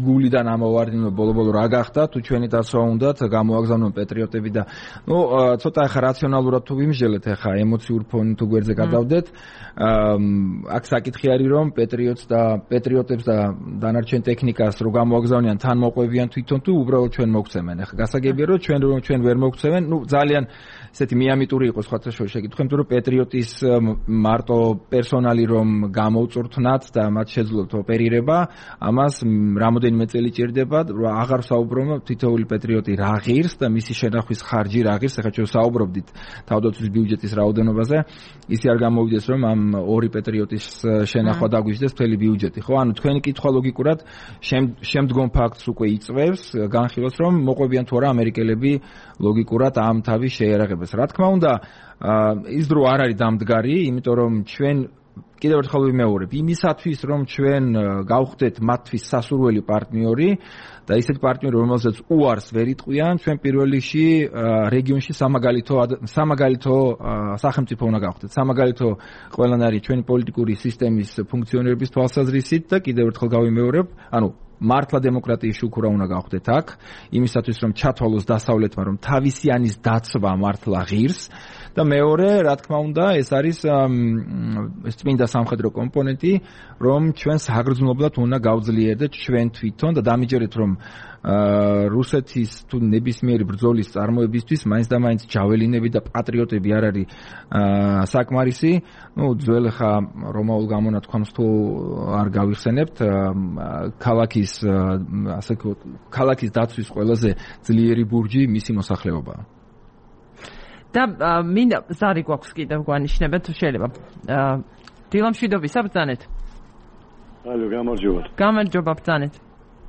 გულიდან ამოვარდინო ბოლო-ბოლო რა გახდა თუ ჩვენი დაცვა უნდათ გამოაგზავნონ პატრიოტები და ну ცოტა ახლა რაციონალურად თუ ვიმსჯელეთ ახლა ემოციურ ფონი თუ გვერდზე გადავდეთ აქ საკითხი არის რომ პატრიოტს და პატრიოტებს და დანარჩენ ტექნიკას რო გამოაგზავნიან თან მოყვებიან თვითონ თუ უბრალოდ ჩვენ მოგცემენ ახლა გასაგებია რომ ჩვენ რომ ჩვენ ვერ მოგცემენ ну ძალიან ესეთი მიამიტური იყო სხვათა შორის შეკითხვა იმიტომ რომ პატრიოტის მარტო პერსონალი რომ გამოუწურთნათ და მათ შეძლოთ ოპერირება ამას რამოდენიმე წელი ჭირდება რომ აღარ საუბრობ თითოეული პატრიოტი რა ღირს და მისი შენახვის ხარჯი რა ღირს ახლა ჩვენ საუბრობდით თავდაცვის ბიუჯეტის რაოდენობაზე ისი არ გამოვიდეს რომ ამ ორი პატრიოტის შენახვა დაგვიჯდეს მთელი ბიუჯეტი ხო ანუ თქვენი კითხვა ლოგიკურად შემდგომ ფაქტს უკვე იწვევს განხილავს რომ მოყვებიან თუ არა ამერიკელები ლოგიკურად ამ თავის შეერაღებას რა თქმა უნდა ის დრო არ არის დამდგარი იმიტომ რომ ჩვენ კიდევ ერთხელ ვიმეორებ იმისათვის რომ ჩვენ გავხდეთ მათთვის სასურველი პარტნიორი და ისეთი პარტნიორი რომელსაც უარს ვერ იტყვიან ჩვენ პირველ რიგში რეგიონში სამაგალითო სამაგალითო სახელმწიფო უნდა გავხდეთ სამაგალითო ყველანაირი ჩვენი პოლიტიკური სისტემის ფუნქციონირების თვალსაზრისით და კიდევ ერთხელ გავიმეორებ ანუ მართლა დემოკრატიის შუქურა უნდა გავხდეთ აქ იმისათვის რომ ჩათვალოს დასავლეთმა რომ თავისიანის დაცვა მართლა ღირს და მეორე რა თქმა უნდა ეს არის ეს წმინდა სამხედრო კომპონენტი რომ ჩვენ საგრძნობლად უნდა გავძლიერდეთ ჩვენ თვითონ და დამიჯერეთ რომ რუსეთის თუ ნებისმიერი ბრძოლის წარმოებისთვის მაინც და მაინც ჯაველინები და პატრიოტები არ არის საკმარისი ну ძველ ხა რომაულ გამონათქვამს თუ არ გავიხსენებთ ქალაქის ასე ქალაქის დაცვის ყველაზე ძლიერი ბურჯი მისი მოსახლეობაა და მინდა ზარი გვაქვს კიდევ გვანიშნება თუ შეიძლება დილამშვიდობისა ბრძანეთ ალო გამარჯობა გამარჯობა ბრძანეთ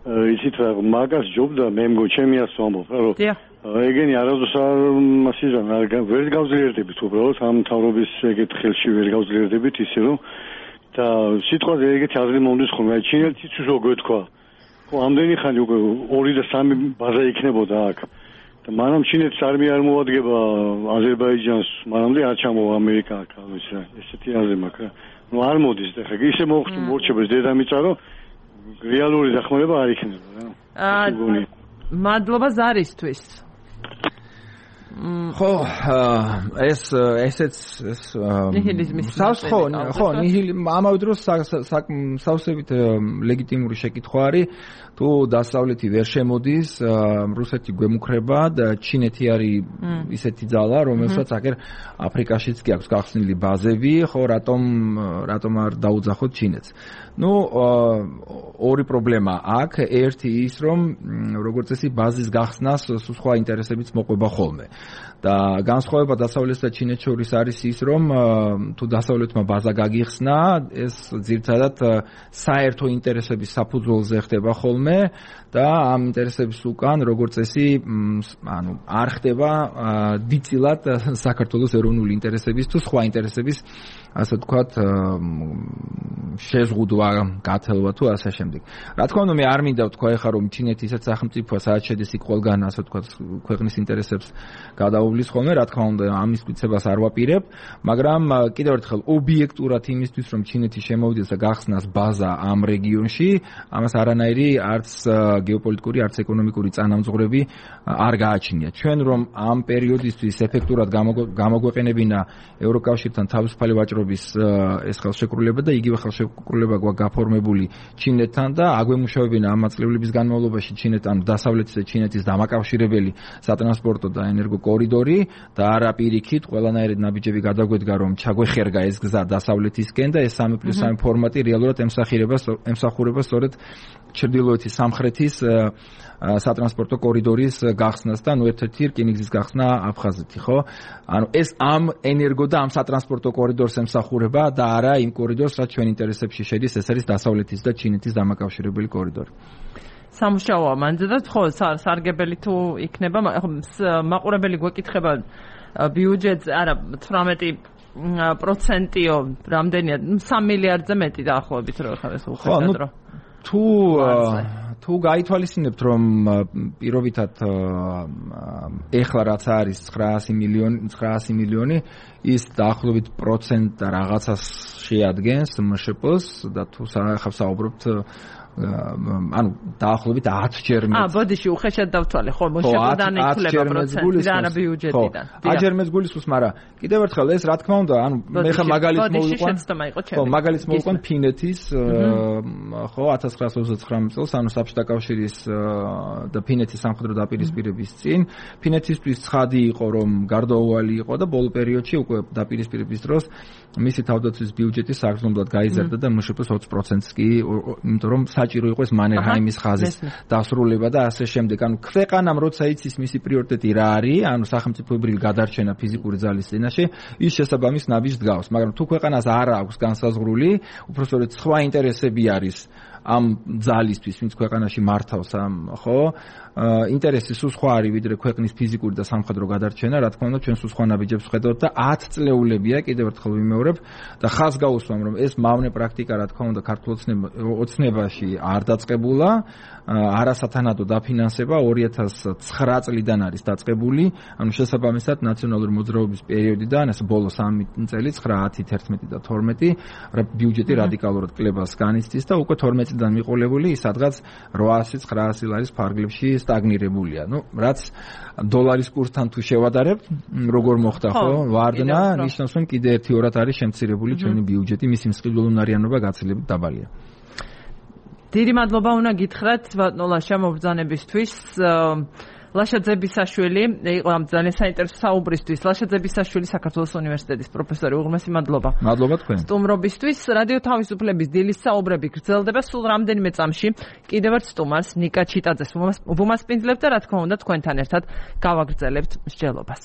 იცით რა მაგას ჯობდა მე მგონი ჩემი ასე ვამბობ რა რომ ეგენი არასდროს არ მასიზან ვერ გავძლიერდებით უბრალოდ ამ თავრობის ეგეთ ხელში ვერ გავძლიერდებით ისე რომ და სიტყვაზე ეგეთი აზრი მომდის ხოლმე ჩინელიც რო გვეთქვა ხო ამდენი ხანი უკვე ორი და სამი ბაზა იქნებოდა აქ და მანამ ჩინეთს არმია არ მოადგება აზერბაიჯანს მანამდე არ ჩამოვა ამერიკა აქ ის რა ესეთი აზრი მაქვს რა ნუ არ მოდის და ხა ისე მოხდა მორჩებას დედამიწა რომ რეალური დახმარება არ იქნება რა აა მადლობა ზარისთვის ხო ეს ესეც ეს ხო ხო ამავე დროს სავსებით ლეგიტიმური შეკითხვა არის თუ დასავლეთი ვერ შემოდის რუსეთი გვემუქრება და ჩინეთი არის ისეთი ძალა რომელსაც აგერ აფრიკაშიც კი აქვს გახსნილი ბაზები ხო რატომ რატომ არ დაუძახოთ ჩინეთს ну ორი პრობლემა აქ ერთი ის რომ როგორც წესი ბაზის გახსნას სხვა ინტერესებიც მოყვება ხოლმე და განსხვავება დასავლეთსა და ჩინეთს შორის არის ის რომ თუ დასავლეთმა ბაზა გაგიხსნა ეს ძირთადად საერთო ინტერესების საფუძველზე ხდება ხოლმე და ამ ინტერესების უკან როგორც წესი ანუ არ ხდება დიდწილად საქართველოს ეროვნული ინტერესების თუ სხვა ინტერესების ასე ვთქვათ შეზღუდვა გათელვა თუ ასე შემდეგ. რა თქმა უნდა მე არ მინდა ვთქვა ეხლა რომ ჩინეთი ისეთ სახელმწიფოა სადაც შედის იქ ყველგან ასე ვთქვათ ქვეყნის ინტერესებს გადაუვლის ხოლმე რა თქმა უნდა ამის მტკიცებას არ ვაპირებ მაგრამ კიდევ ერთხელ ობიექტურად იმისთვის რომ ჩინეთი შემოვიდეს და გახსნას ბაზა ამ რეგიონში ამას არანაირი არც გეოპოლიტიკური არც ეკონომიკური წანამძღვრები არ გააჩნია ჩვენ რომ ამ პერიოდისთვის ეფექტურად გამოგვეყენებინა ევროკავშირთან თავისუფალი ვაჭრობის ეს ხელშეკრულება და იგივე ხელშეკრულება გვაქვს გაფორმებული ჩინეთთან და აგვემუშავებინა ამ წლების განმავლობაში ჩინეთთან დასავლეთის და ჩინეთის დამაკავშირებელი სატრანსპორტო და ენერგო კორიდორი და არა პირიქით ყველანაირი ნაბიჯები გადაგვედგა რომ ჩაგვეხერგა ეს გზა დასავლეთისკენ და ეს სამი პლუს სამი ფორმატი რეალურად ემსახურება ემსახურება სწორედ ჩრდილოეთის სამხრეთის სატრანსპორტო კორიდორის გახსნას და ნუ ერთ-ერთი რკინიგზის გახსნა აფხაზეთი ხო ანუ ეს ამ ენერგო და ამ სატრანსპორტო კორიდორს ემსახურება და არა იმ კორიდორს რაც ჩვენ ინტერესებში შედის ეს არის დასავლეთის და ჩინეთის დამაკავშირებელი კორიდორი სამუშაოა მანძე და ხო სარგებელი თუ იქნება მაყურებელი გვეკითხება ბიუჯეტს არა თვრამეტი პროცენტიო რამდენია სამი მილიარდზე მეტი დაახლოებით რო ხარ ეს უხედავ თუ თუ გაითვალისწინებთ რომ პირობითად ეხლა რაც არის ცხრაასი მილიონი ცხრაასი მილიონი ის დაახლოებით პროცენტ რაღაცას შეადგენს მშპ-ს და თუ ახლა საუბრობთ ანუ დაახლოებით ათჯერ მეტ. აა, ბოდიში უხეშად დავთვალე, ხო, მშპ-დან ეკვლება პროცენტი და არა ბიუჯეტიდან. ხო, ათჯერ მეც გულისხმობს, მაგრამ კიდევ ერთხელ ეს რა თქმა უნდა, ანუ მე ხა მაგალითს მოვიყვან. ხო, მაგალითს მოვიყვან ფინეთის, ხო, ათას ცხრაას ოცდათვრამეტ წელს, ანუ საბჭოთა კავშირის და ფინეთის სამხედრო დაპირისპირების წინ, ფინეთისთვის ცხადი იყო, რომ გარდაუვალი იყო და ბოლო პერიოდში უკვე დაპირისპირების დროს მისი თავდაცვის ბიუჯეტი საგრძნობლად გაიზარდა და მშპ-ს ოცი პროცენტს კი, იმიტომ რომ საჭირო იყო ეს მანერჰაიმის ხაზის დასრულება და ასე შემდეგ. ანუ ქვეყანამ როცა იცის მისი პრიორიტეტი რა არის, ანუ სახელმწიფოებრივი გადარჩენა ფიზიკური ძალის წინაშე, ის შესაბამის ნაბიჯს დგავს. მაგრამ თუ ქვეყანას არ აქვს განსაზღვრული, უბრალოდ სხვა ინტერესები არის ამ ძალისთვის, ვინც ქვეყანაში მართავს ამ, ხო? ინტერესი სულ სხვა არის, ვიდრე ქვეყნის ფიზიკური და სამხედრო გადარჩენა, რა თქმა უნდა, ჩვენ სულ სხვა ნაბიჯებს ვხედავთ და ათ წლეულებია, კიდევ ერთხელ ვიმეორებ და ხაზს გავუსვამ, რომ ეს მავნე პრაქტიკა, რა თქმა უნდა, ქართულ ოცნებაში არ დაწყებულა, არასათანადო დაფინანსება ორი ათას ცხრა წლიდან არის დაწყებული, ანუ შესაბამისად ნაციონალური მოძრაობის პერიოდიდან, ეს ბოლო სამი წელი, ცხრა, ათი, თერთმეტი და თორმეტი, ბიუჯეტი რადიკალურად კლებას განიცდის და უკვე თორმეტი წლიდან მიყოლებული ის სადღაც რვაასი ცხრაასი ლარის ფარგლებში სტაგნირებულია. ნუ, რაც დოლარის კურსთან თუ შევადარებთ, როგორ მოხდა ხო? ვარდნა, ნიშნავს, რომ კიდე ერთი ორად არის შემცირებული ჩვენი ბიუჯეტი, მისი მსყიდველუნარიანობა გაცილებით დაბალია. დიდი მადლობა უნდა გითხრათ ბატონ ლაშა მობრძანებისთვის. ლაშა ძებისაშვილი იყო ამ ძალიან საინტერესო საუბრისთვის. ლაშა ძებისაშვილი საქართველოს უნივერსიტეტის პროფესორი. უღრმესი მადლობა. მადლობა თქვენ. სტუმრობისთვის. რადიო თავისუფლების დილის საუბრები გრძელდება სულ რამდენიმე წამში. კიდევ ერთ სტუმარს ნიკა ჩიტაძეს ვუმასპინძლებთ და რა თქმა უნდა თქვენთან ერთად გავაგრძელებთ მსჯელობას.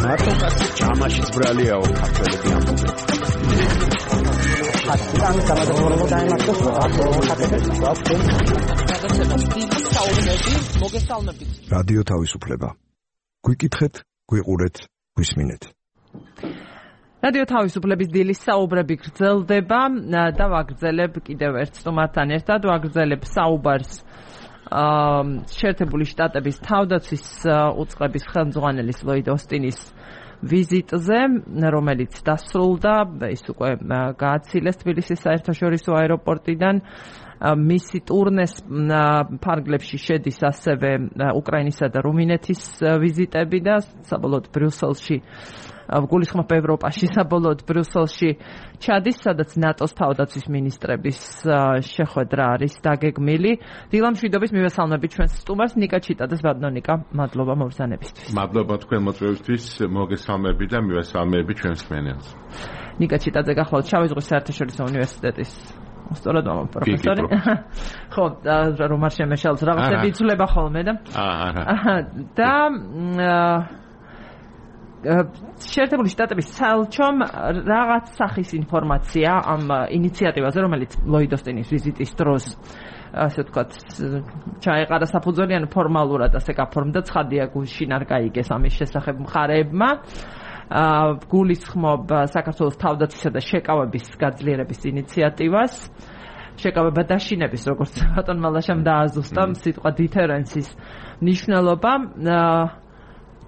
მარტო კაცი ჩამაშიც ბრალიაო ქართველები ამბობენ. რადიო თავისუფლება. გვიკითხეთ, გვიყურეთ, გვისმინეთ. რადიო თავისუფლების დილის საუბრები გრძელდება და ვაგრძელებ კიდევ ერთ სტუმართან ერთად, ვაგრძელებ საუბარს შეერთებული შტატების თავდაცვის უწყების ხელმძღვანელის ლოიდ ოსტინის ვიზიტზე, რომელიც დასრულდა, ის უკვე გააცილეს თბილისის საერთაშორისო აეროპორტიდან. მისი ტურნეს ფარგლებში შედის ასევე უკრაინისა და რუმინეთის ვიზიტები და საბოლოოდ ბრიუსელში გულისხმობ ევროპაში, საბოლოოდ ბრიუსელში ჩადის, სადაც ნატოს თავდაცვის მინისტრების შეხვედრა არის დაგეგმილი. დილამშვიდობის მივესალმებით ჩვენს სტუმარს ნიკა ჩიტაძეს. ბატონო ნიკა, მადლობა მოგზანებისთვის. მადლობა თქვენ მოწვევისთვის, მოგესალმები და მივესალმები ჩვენს მენელს. ნიკა ჩიტაძე გახლავთ შავი ზღვის საერთაშორისო უნივერსიტეტის სწორად მამა პროფესორი. ხო, რომ არ შემეშალოს რაღაცები იცვლება ხოლმე და აა და შეერთებული შტატების საელჩომ რაღაც სახის ინფორმაცია ამ ინიციატივაზე, რომელიც ლოიდ ოსტინის ვიზიტის დროს ასე ვთქვათ, ჩაეყარა საფუძველი, ანუ ფორმალურად ასე გაფორმდა, ცხადია გუშინ არ გაიგეს ამის შესახებ მხარეებმა. გულისხმობ საქართველოს თავდაცვისა და შეკავების გაძლიერების ინიციატივას. შეკავება დაშინების, როგორც ბატონმა ლაშამ დააზუსტა სიტყვა დითერენსის მნიშვნელობა.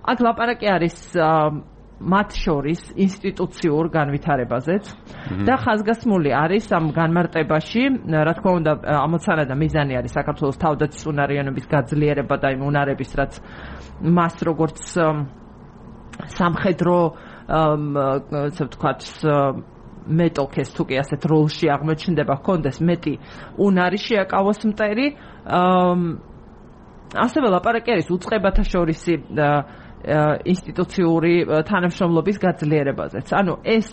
აქ ლაპარაკი არის მათ შორის ინსტიტუციურ განვითარებაზეც და ხაზგასმული არის ამ განმარტებაში, რა თქმა უნდა, ამოცანა და მიზანი არის საქართველოს თავდაცვის უნარიანობის გაძლიერება და იმ უნარების, რაც მას როგორც სამხედრო ასე ვთქვათ მეტოქეს თუ კი ასეთ როლში აღმოჩნდება, ჰქონდეს მეტი უნარი შეაკავოს მტერი. ასევე ლაპარაკი არის უწყებათა შორისი ინსტიტუციური თანამშრომლობის გაძლიერებაზეც. ანუ ეს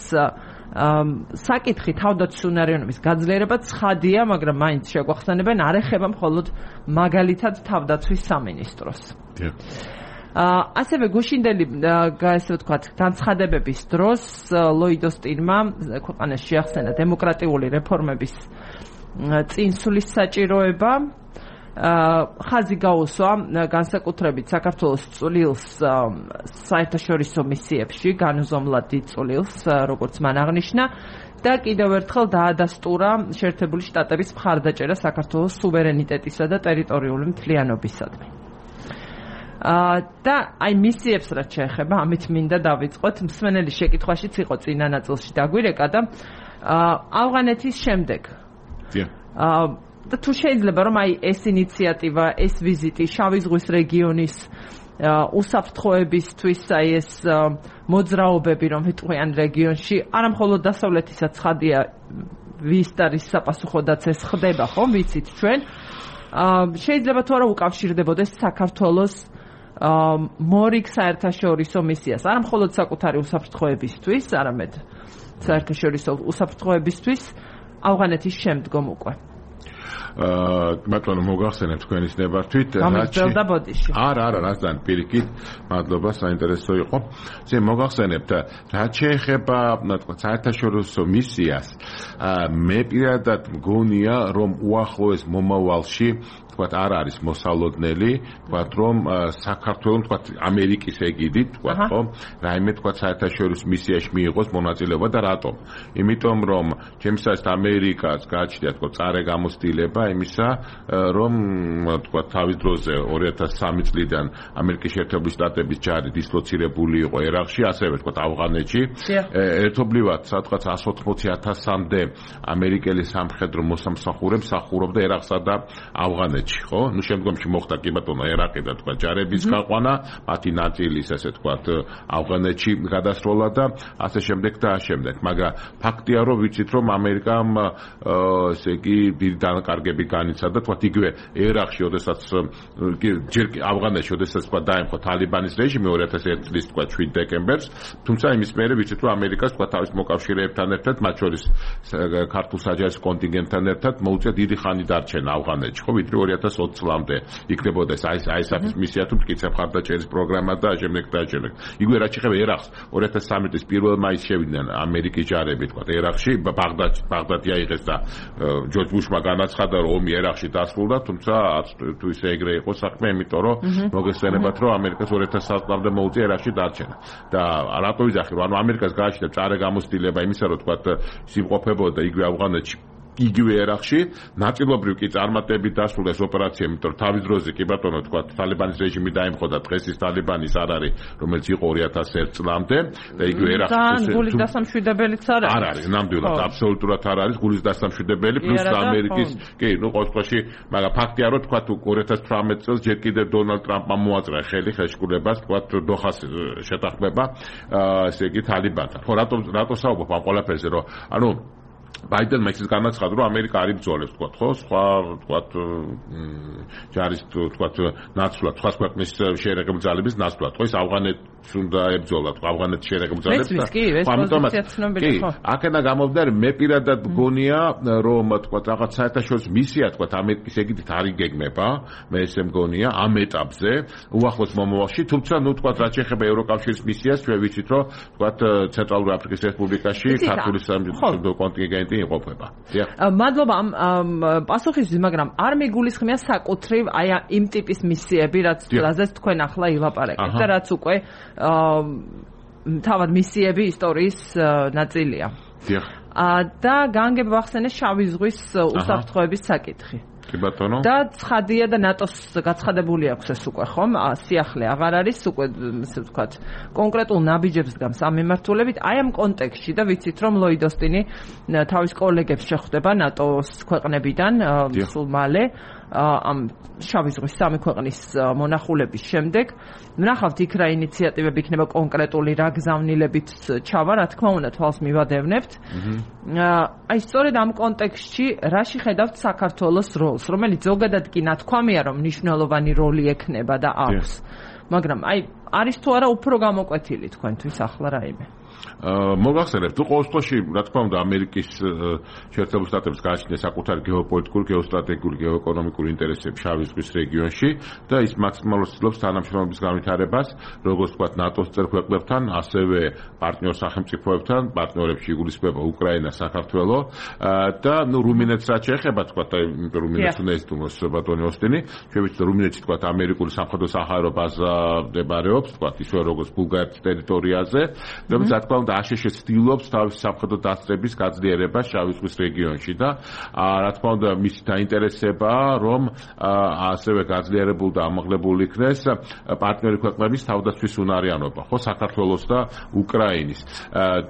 საკითხი თავდაცვის უნარიანობის გაძლიერება ცხადია, მაგრამ მაინც შეგვახსენებენ არ ეხება მხოლოდ მაგალითად თავდაცვის სამინისტროს. ასევე გუშინდელი ასე ვთქვათ განცხადებების დროს ლოიდ ოსტინმა ქვეყანაში შეახსენა დემოკრატიული რეფორმების წინსვლის საჭიროება ხაზი გაუსვა განსაკუთრებით საქართველოს წვლილს საერთაშორისო მისიებში, განუზომლად დიდ წვლილს, როგორც მან აღნიშნა და კიდევ ერთხელ დაადასტურა შეერთებული შტატების მხარდაჭერა საქართველოს სუვერენიტეტისა და ტერიტორიული მთლიანობისადმი. და აი მისიებს რაც შეეხება, ამით მინდა დავიწყოთ. მსმენელი შეკითხვაშიც იყო წინა ნაწილში დაგვირეკა და ავღანეთის შემდეგ. და თუ შეიძლება რომ აი ეს ინიციატივა, ეს ვიზიტი შავი ზღვის რეგიონის უსაფრთხოებისთვის, აი ეს მოძრაობები რომ ვიტყვიან რეგიონში, არა მხოლოდ დასავლეთისაც ხადია ვის არის საპასუხოდაც ეს ხდება, ხო, ვიცით ჩვენ. შეიძლება თუ არა უკავშირდებოდეს საქართველოს მორიგ საერთაშორისო მისიას, არა მხოლოდ საკუთარი უსაფრთხოებისთვის, არამედ საერთაშორისო უსაფრთხოებისთვის ავღანეთის შემდგომ უკვე. ბატონო მოგახსენებთ თქვენის ნებართვით გამიძველდა ბოდიში. არა, არა, რასთან პირიქით, მადლობა, საინტერესო იყო. ზე მოგახსენებთ, რაც შეეხება, თქვა, საერთაშორისო მისიას, მე პირადად მგონია, რომ უახლოეს მომავალში თქვათ არ არის მოსალოდნელი, თქვათ რომ საქართველოს თქვათ ამერიკის ეგიდით, თქვათ ხო, რაიმე თქვათ საერთაშორისო მისიაში მიიღოს მონაწილეობა და რატომ? იმიტომ რომ ჩემსათვის ამერიკას გააჩნია თქვათ წარე გამოცდილება იმისა, რომ თქვათ თავის დროზე ორი ათას სამი წლიდან ამერიკის შეერთებული შტატების ჯარი დისლოცირებული იყო ერაყში, ასევე თქვათ ავღანეთში. ერთობლივად სადღაც εκατს ოთხმოცი ათასამდე ამერიკელი სამხედრო მოსამსახურე მსახურობდა ერაყსა და ავღანეთში. ხო, ნუ შემდგომში მოხდა კი ბატონო ერაყი და თქვა ჯარების გაყვანა, მათი ნაწილის ასე თქვა ავღანეთში გადასროლა და ასე შემდეგ და ასე შემდეგ. მაგრამ ფაქტია რომ ვიცით რომ ამერიკამ ესე იგი დიდი დანაკარგები განიცადა, თქვა იგივე ერაყში, ოდესაც ჯერ ავღანეთში, ოდესაც თქვა დაემხო თალიბანის რეჟიმი ორი ათას ერთი წლის თქვა შვიდ დეკემბერს, თუმცა იმის მერე ვიცით რომ ამერიკას თქვა თავის მოკავშირეებთან ერთად, მათ შორის ქართულ საჯარო კონტინგენტთან ერთად მოუწია დიდი ხანი დარჩენა ავღანეთში, ხო, ვიდრე ორი ათას ოცი წლამდე იქნებოდა ეს აი ეს საფის მისია თუ მტკიცე მხარდაჭერის პროგრამა და ამჟამად და ამჟამად. იგივე რაც შეეხება ერაყს, ორი ათას სამი წლის პირველ მაისს შევიდნენ ამერიკის ჯარები, თქვა ერაყში, ბაღდადში, ბაღდადი აიღეს და ჯორჯ ბუშმა განაცხადა რომ ომი ერაყში დასრულდა, თუმცა თუ ისე ეგრე იყო საქმე, იმიტომ რომ მოგესწრებათ რომ ამერიკას ორი ათას სამი წლამდე მოუწია ერაყში დარჩენა. და რატო ვიძახი რომ ანუ ამერიკას გააჩნია წარე გამოცდილება იმისა რომ თქვა სიმყოფებოდა იგივე ავღანეთში იგივე ერაყში, ნაწილობრივ კი წარმატებით დასრულდა ეს ოპერაცია, იმიტომ რომ თავის დროზე კი ბატონო თქვა თალიბანის რეჟიმი დაემხო და დღეს ის თალიბანის არ არის, რომელიც იყო ორი ათას ერთი წლამდე და იგივე ერაყში გულის დასამშვიდებელიც არ არის. არ არის, ნამდვილად, აბსოლუტურად არ არის გულის დასამშვიდებელი, პლუს ამერიკის, კი, ნუ ყოველ შემთხვევაში, მაგრამ ფაქტია რომ თქვა ორი ათას თვრამეტ წელს ჯერ კიდევ დონალდ ტრამპმა მოაწყდა ხელი ხელშეკრულებას, თქვა დოხას შეთანხმება, ესე იგი თალიბანთან. ხო, რატო რატო საუბრობ ამ ყველაფერზე, რომ ანუ ბაიდენმა ის განაცხადა, რომ ამერიკა არ იბრძოლებს, თქვა, ხო, სხვა, თქვა, ჯარის, თქვა, ნაცვლად, სხვა ქვეყნის შეერაგებული ძალების ნაცვლად, ხო, ის ავღანეთს უნდა ებრძოლა, თქვა, ავღანეთის შეერაგებული ძალებს და კი, აქედა გამოვიდა, მე პირადად მგონია, რომ, თქვა, რაღაც საერთაშორისო მისია, თქვა, ამერიკის ეგიდით არ იგეგმება, მე ესე მგონია, ამ ეტაპზე, უახლოს მომავალში, თუმცა, ნუ, თქვა, რაც შეეხება ევროკავშირის მისიას, ჩვენ ვიცით, რომ, თქვა, ცენტრალური აფრიკის რესპუბლიკაში ქართული სამხედრო კონტინგენტი იყოფება. მადლობა ამ პასუხისთვის, მაგრამ არ მიგულისხმია საკუთრივ აი იმ ტიპის მისიები, რაც რაზეც თქვენ ახლა ილაპარაკეთ და რაც უკვე თავად მისიები ისტორიის ნაწილია. და განგებ ვახსენე შავი ზღვის უსაფრთხოების საკითხი. კი ბატონო. და ცხადია და ნატოს გაცხადებული აქვს ეს უკვე ხომ? სიახლე აღარ არის უკვე ისე ვთქვათ კონკრეტულ ნაბიჯებს გავს ამ მიმართულებით. აი ამ კონტექსტში და ვიცით რომ ლოიდ ოსტინი თავის კოლეგებს შეხვდება ნატოს ქვეყნებიდან სულ მალე ამ შავი ზღვის სამი ქვეყნის მონახულების შემდეგ. ვნახავთ იქ რა ინიციატივები იქნება კონკრეტული რა გზავნილებით ჩავა, რა თქმა უნდა თვალს მივადევნებთ. აი სწორედ ამ კონტექსტში რაში ხედავთ საქართველოს როლს, რომელიც ზოგადად კი ნათქვამია რომ მნიშვნელოვანი როლი ექნება და აქვს. მაგრამ აი არის თუ არა უფრო გამოკვეთილი თქვენთვის ახლა რაიმე? მოგახსენებთ, თუ ყოველ შემთხვევაში, რა თქმა უნდა, ამერიკის შეერთებული შტატების გააჩნია საკუთარი გეოპოლიტიკური, გეოსტრატეგიული, გეოეკონომიკური ინტერესები შავი ზღვის რეგიონში და ის მაქსიმალურად ცდილობს თანამშრომლობის განვითარებას, როგორც ვთქვათ, ნატოს წევრ ქვეყნებთან, ასევე პარტნიორ სახელმწიფოებთან, პარტნიორებში იგულისხმება უკრაინა, საქართველო და ნუ რუმინეთს რაც შეეხება, ვთქვათ, აი რუმინეთს უნდა ეზიდუმოს ბატონი ოსტინი, ჩვენ ვიცით, რუმინეთში ვთქვათ, ამერიკული სამხედრო საჰაერო ბაზა მდებარეობს, ვთქვათ, ისე როგორც ბულგარეთის ტერიტორიაზე, რომელიც რა თქმა უნდა აშშ ცდილობს თავის სამხედრო დასწრების გაძლიერებას შავი ზღვის რეგიონში და რა თქმა უნდა მისი დაინტერესებაა, რომ ასევე გაძლიერებულ და ამაღლებულ იქნეს პარტნიორი ქვეყნების თავდაცვის უნარიანობა, ხო, საქართველოს და უკრაინის.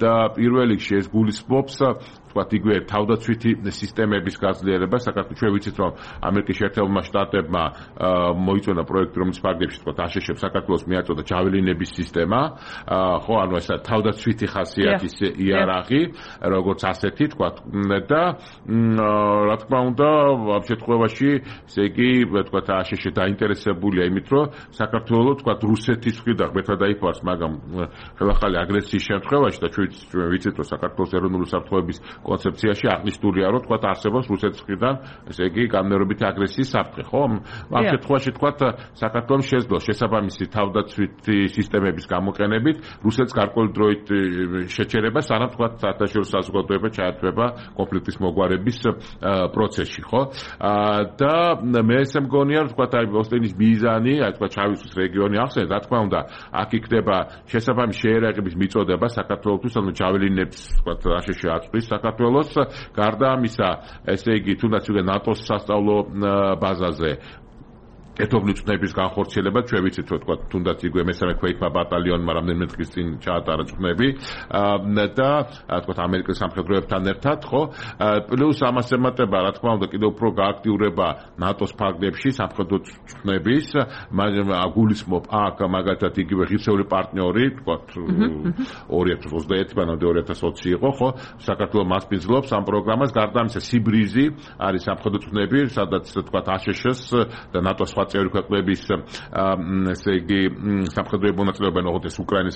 და პირველ რიგში ეს გულისხმობს ვთქვათ, იგივე თავდაცვითი სისტემების გაძლიერება. საქართველოს ჩვენ ვიცით, რომ ამერიკის შეერთებულმა შტატებმა მოიწონა პროექტი, რომელიც ფარგლებში ვთქვათ, აშშ-ებს საქართველოს მიაწოდა ჯაველინების სისტემა, ხო, ანუ ეს თავდაცვითი ხასიათის იარაღი, როგორც ასეთი, ვთქვათ, და რა თქმა უნდა, ამ შემთხვევაში, ესე იგი, ვთქვათ, აშშ დაინტერესებულია იმით, რომ საქართველოს, ვთქვათ, რუსეთის მხრიდან ღმერთმა დაიფარს, მაგრამ ხელახალი აგრესიის შემთხვევაში და ჩვენ ვიცით, რომ საქართველოს ეროვნული საფრთხეების კონცეფციაში აღნიშნულია, რომ თქვათ არსებობს რუსეთის მხრიდან, ესე იგი, განმეორებითი აგრესიის საფრთხე, ხო? ამ შემთხვევაში თქვათ, საქართველოს შეძლო შესაბამისი თავდაცვითი სისტემების გამოყენებით რუსეთს გარკვეული დროით შეჩერება, სანამ თქვათ საერთაშორისო საზოგადოება ჩაერთვება კონფლიქტის მოგვარების პროცესში, ხო? და მე ესე მგონია, რომ თქვათ, აი ოსტინის მიზანი, აი თქვათ, შავი ზღვის რეგიონი ახსენეთ, რა თქმა უნდა, აქ იქნება შესაბამისი შეერაღების მიწოდება საქართველოსთვის, ანუ ჯაველინებს, თქვათ, აშშ აწვის საქართველოს, გარდა ამისა, ესე იგი, თუნდაც უკვე ნატოს სასწავლო ბაზაზე ეთობლი წვნების განხორციელება, ჩვენ ვიცით, რომ თქვა, თუნდაც იგივე მესამე ქვეითმა ბატალიონმა რამდენიმე დღის წინ ჩაატარა წვნები და თქვა, ამერიკის სამხედროებთან ერთად, ხო? პლუს ამას ემატება, რა თქმა უნდა, კიდევ უფრო გააქტიურება ნატოს ფარგლებში სამხედრო წვნების, გულისხმობ აქ მაგალითად იგივე ღირსეული პარტნიორი, თქვა, ორი ათას ოცდაერთი მანამდე ორი ათას ოცი იყო, ხო? საქართველოს მასპინძლობს ამ პროგრამას, გარდა ამისა, სიბრიზი არის სამხედრო წვნები, სადაც თქვა, აშშ-ს და ნატოს წევრი ქვეყნების ესე იგი სამხედრო მონაწილეობა ნოხოთეს უკრაინის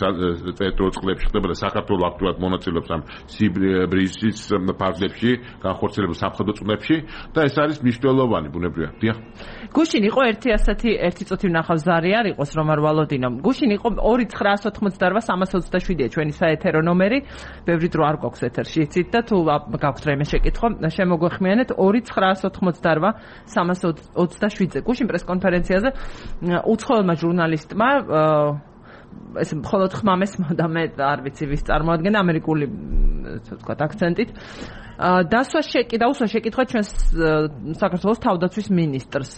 ტერიტორიულ წყლებში ხდება და საქართველოს აქტიურად მონაწილეობს ამ სიბრიზის ფარგლებში, განხორციელებულ სამხედრო წვნებში და ეს არის მნიშვნელოვანი ბუნებრივია. დიახ. გუშინ იყო ერთი ასეთი ერთი წუთი ვნახავ ზარი არ იყოს რომ არ ვალოდინო. გუშინ იყო ორი ცხრაას ოთხმოცდაოთხ სამას ოცდაშვიდია ჩვენი საეთერო ნომერი. ბევრი დრო არ გვაქვს ეთერში, იცით და თუ გაქვთ რაიმე შეკითხვა, შემოგვეხმიანეთ ორი ცხრაას ოთხმოცდაოთხ სამას ოცდაშვიდზე. გუშინ პრეს კონფერენციაზე უცხოელმა ჟურნალისტმა ეს მხოლოდ ხმამესმა და მე არ ვიცი ვის წარმოადგენდა ამერიკული თქვა აქცენტით დასვა შეკითხა უსვა შეკითხა ჩვენს საქართველოს თავდაცვის ministrს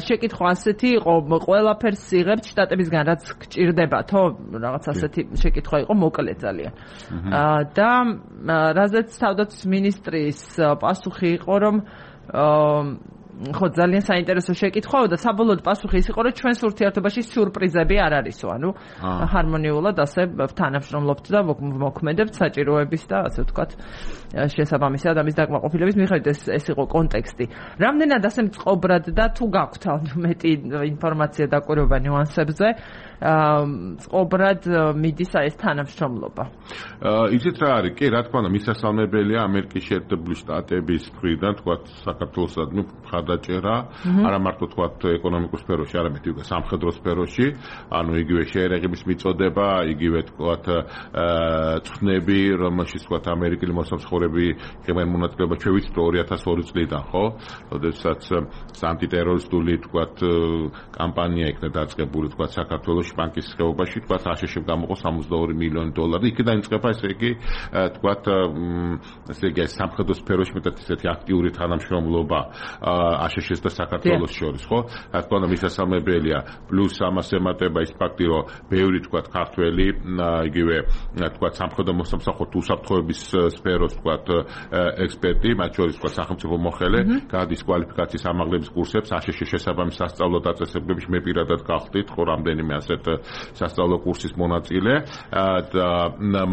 შეკითხვა ასეთი იყო ყველაფერს იღებთ შტატებისგან რაც გჭირდებათო რაღაც ასეთი შეკითხვა იყო მოკლე ძალიან და რაზეც თავდაცვის ministris პასუხი იყო რომ ხო ძალიან საინტერესო შეკითხვაა და საბოლოოდ პასუხი ის იყო რომ ჩვენს ურთიერთობაში სიურპრიზები არ არისო ანუ ჰარმონიულად ასე თანამშრომლობთ და მოქმედებთ საჭიროების და ასე ვთქვათ შესაბამისად ამის დაკმაყოფილების მიხედვით ეს ეს იყო კონტექსტი რამდენად ასე მწყობრად და თუ გაქვთ მეტი ინფორმაცია დაკვირვება ნიუანსებზე მწყობრად მიდის ეს თანამშრომლობა იცით რა არის კი რა თქმა უნდა მისასალმებელია ამერიკის შეერთებული შტატების მხრიდან თქვათ საქართველოსად ნუ ხარდაჭერა არა მარტო თქვათ ეკონომიკურ სფეროში არამედ უკვე სამხედრო სფეროში ანუ იგივე შეერაღების მიწოდება იგივე თქვათ წვნები რომელშიც თქვათ ამერიკელი მოსამსახურები ხებენ მონაწილეობა ჩვენ ვიცით რომ ორი ათას ორი წლიდან ხო როდესაც ანტიტერორისტული თქვათ კამპანია იქნა დაწყებული თქვათ საქართველოს ბანკის ხეობაში თქვათ აშშ-ს გამოყო სამოცდაორი მილიონი დოლარი იქიდან იწყება ესე იგი თქვათ ესე იგი სამხედრო სფეროში მეტად ისეთი აქტიური თანამშრომლობა აშშ-ს და საქართველოს შორის ხო რა თქმა უნდა მისასალმებელია პლუს ამას ემატება ის ფაქტი რომ ბევრი თქვათ ქართველი იგივე თქვათ სამხედრო მოსამსახურე უსაფრთხოების სფეროს თქვათ ექსპერტი მათ შორის თქვათ სახელმწიფო მოხელე გადის კვალიფიკაციის ამაღლების კურსებს აშშ-ს შესაბამის სასწავლო დაწესებულებში მე პირადად გავხდით ხო რამდენიმე ასეთ სასწავლო კურსის მონაწილე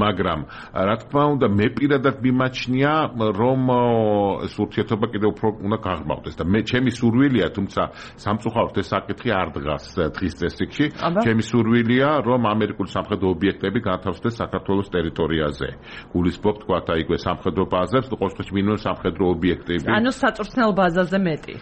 მაგრამ რა თქმა უნდა მე პირადად მიმაჩნია რომ ეს ურთიერთობა კიდევ უფრო უნდა გაღრმავდეს და მე ჩემი სურვილია, თუმცა სამწუხაროდ ეს საკითხი არ დგას დღის წესრიგში. ჩემი სურვილია, რომ ამერიკული სამხედრო ობიექტები განთავსდეს საქართველოს ტერიტორიაზე. გულისხმობ თქვა და იგვე სამხედრო ბაზებს, ყოველთვის მინიმუმ სამხედრო ობიექტები. ანუ საწვრთნელ ბაზაზე მეტი.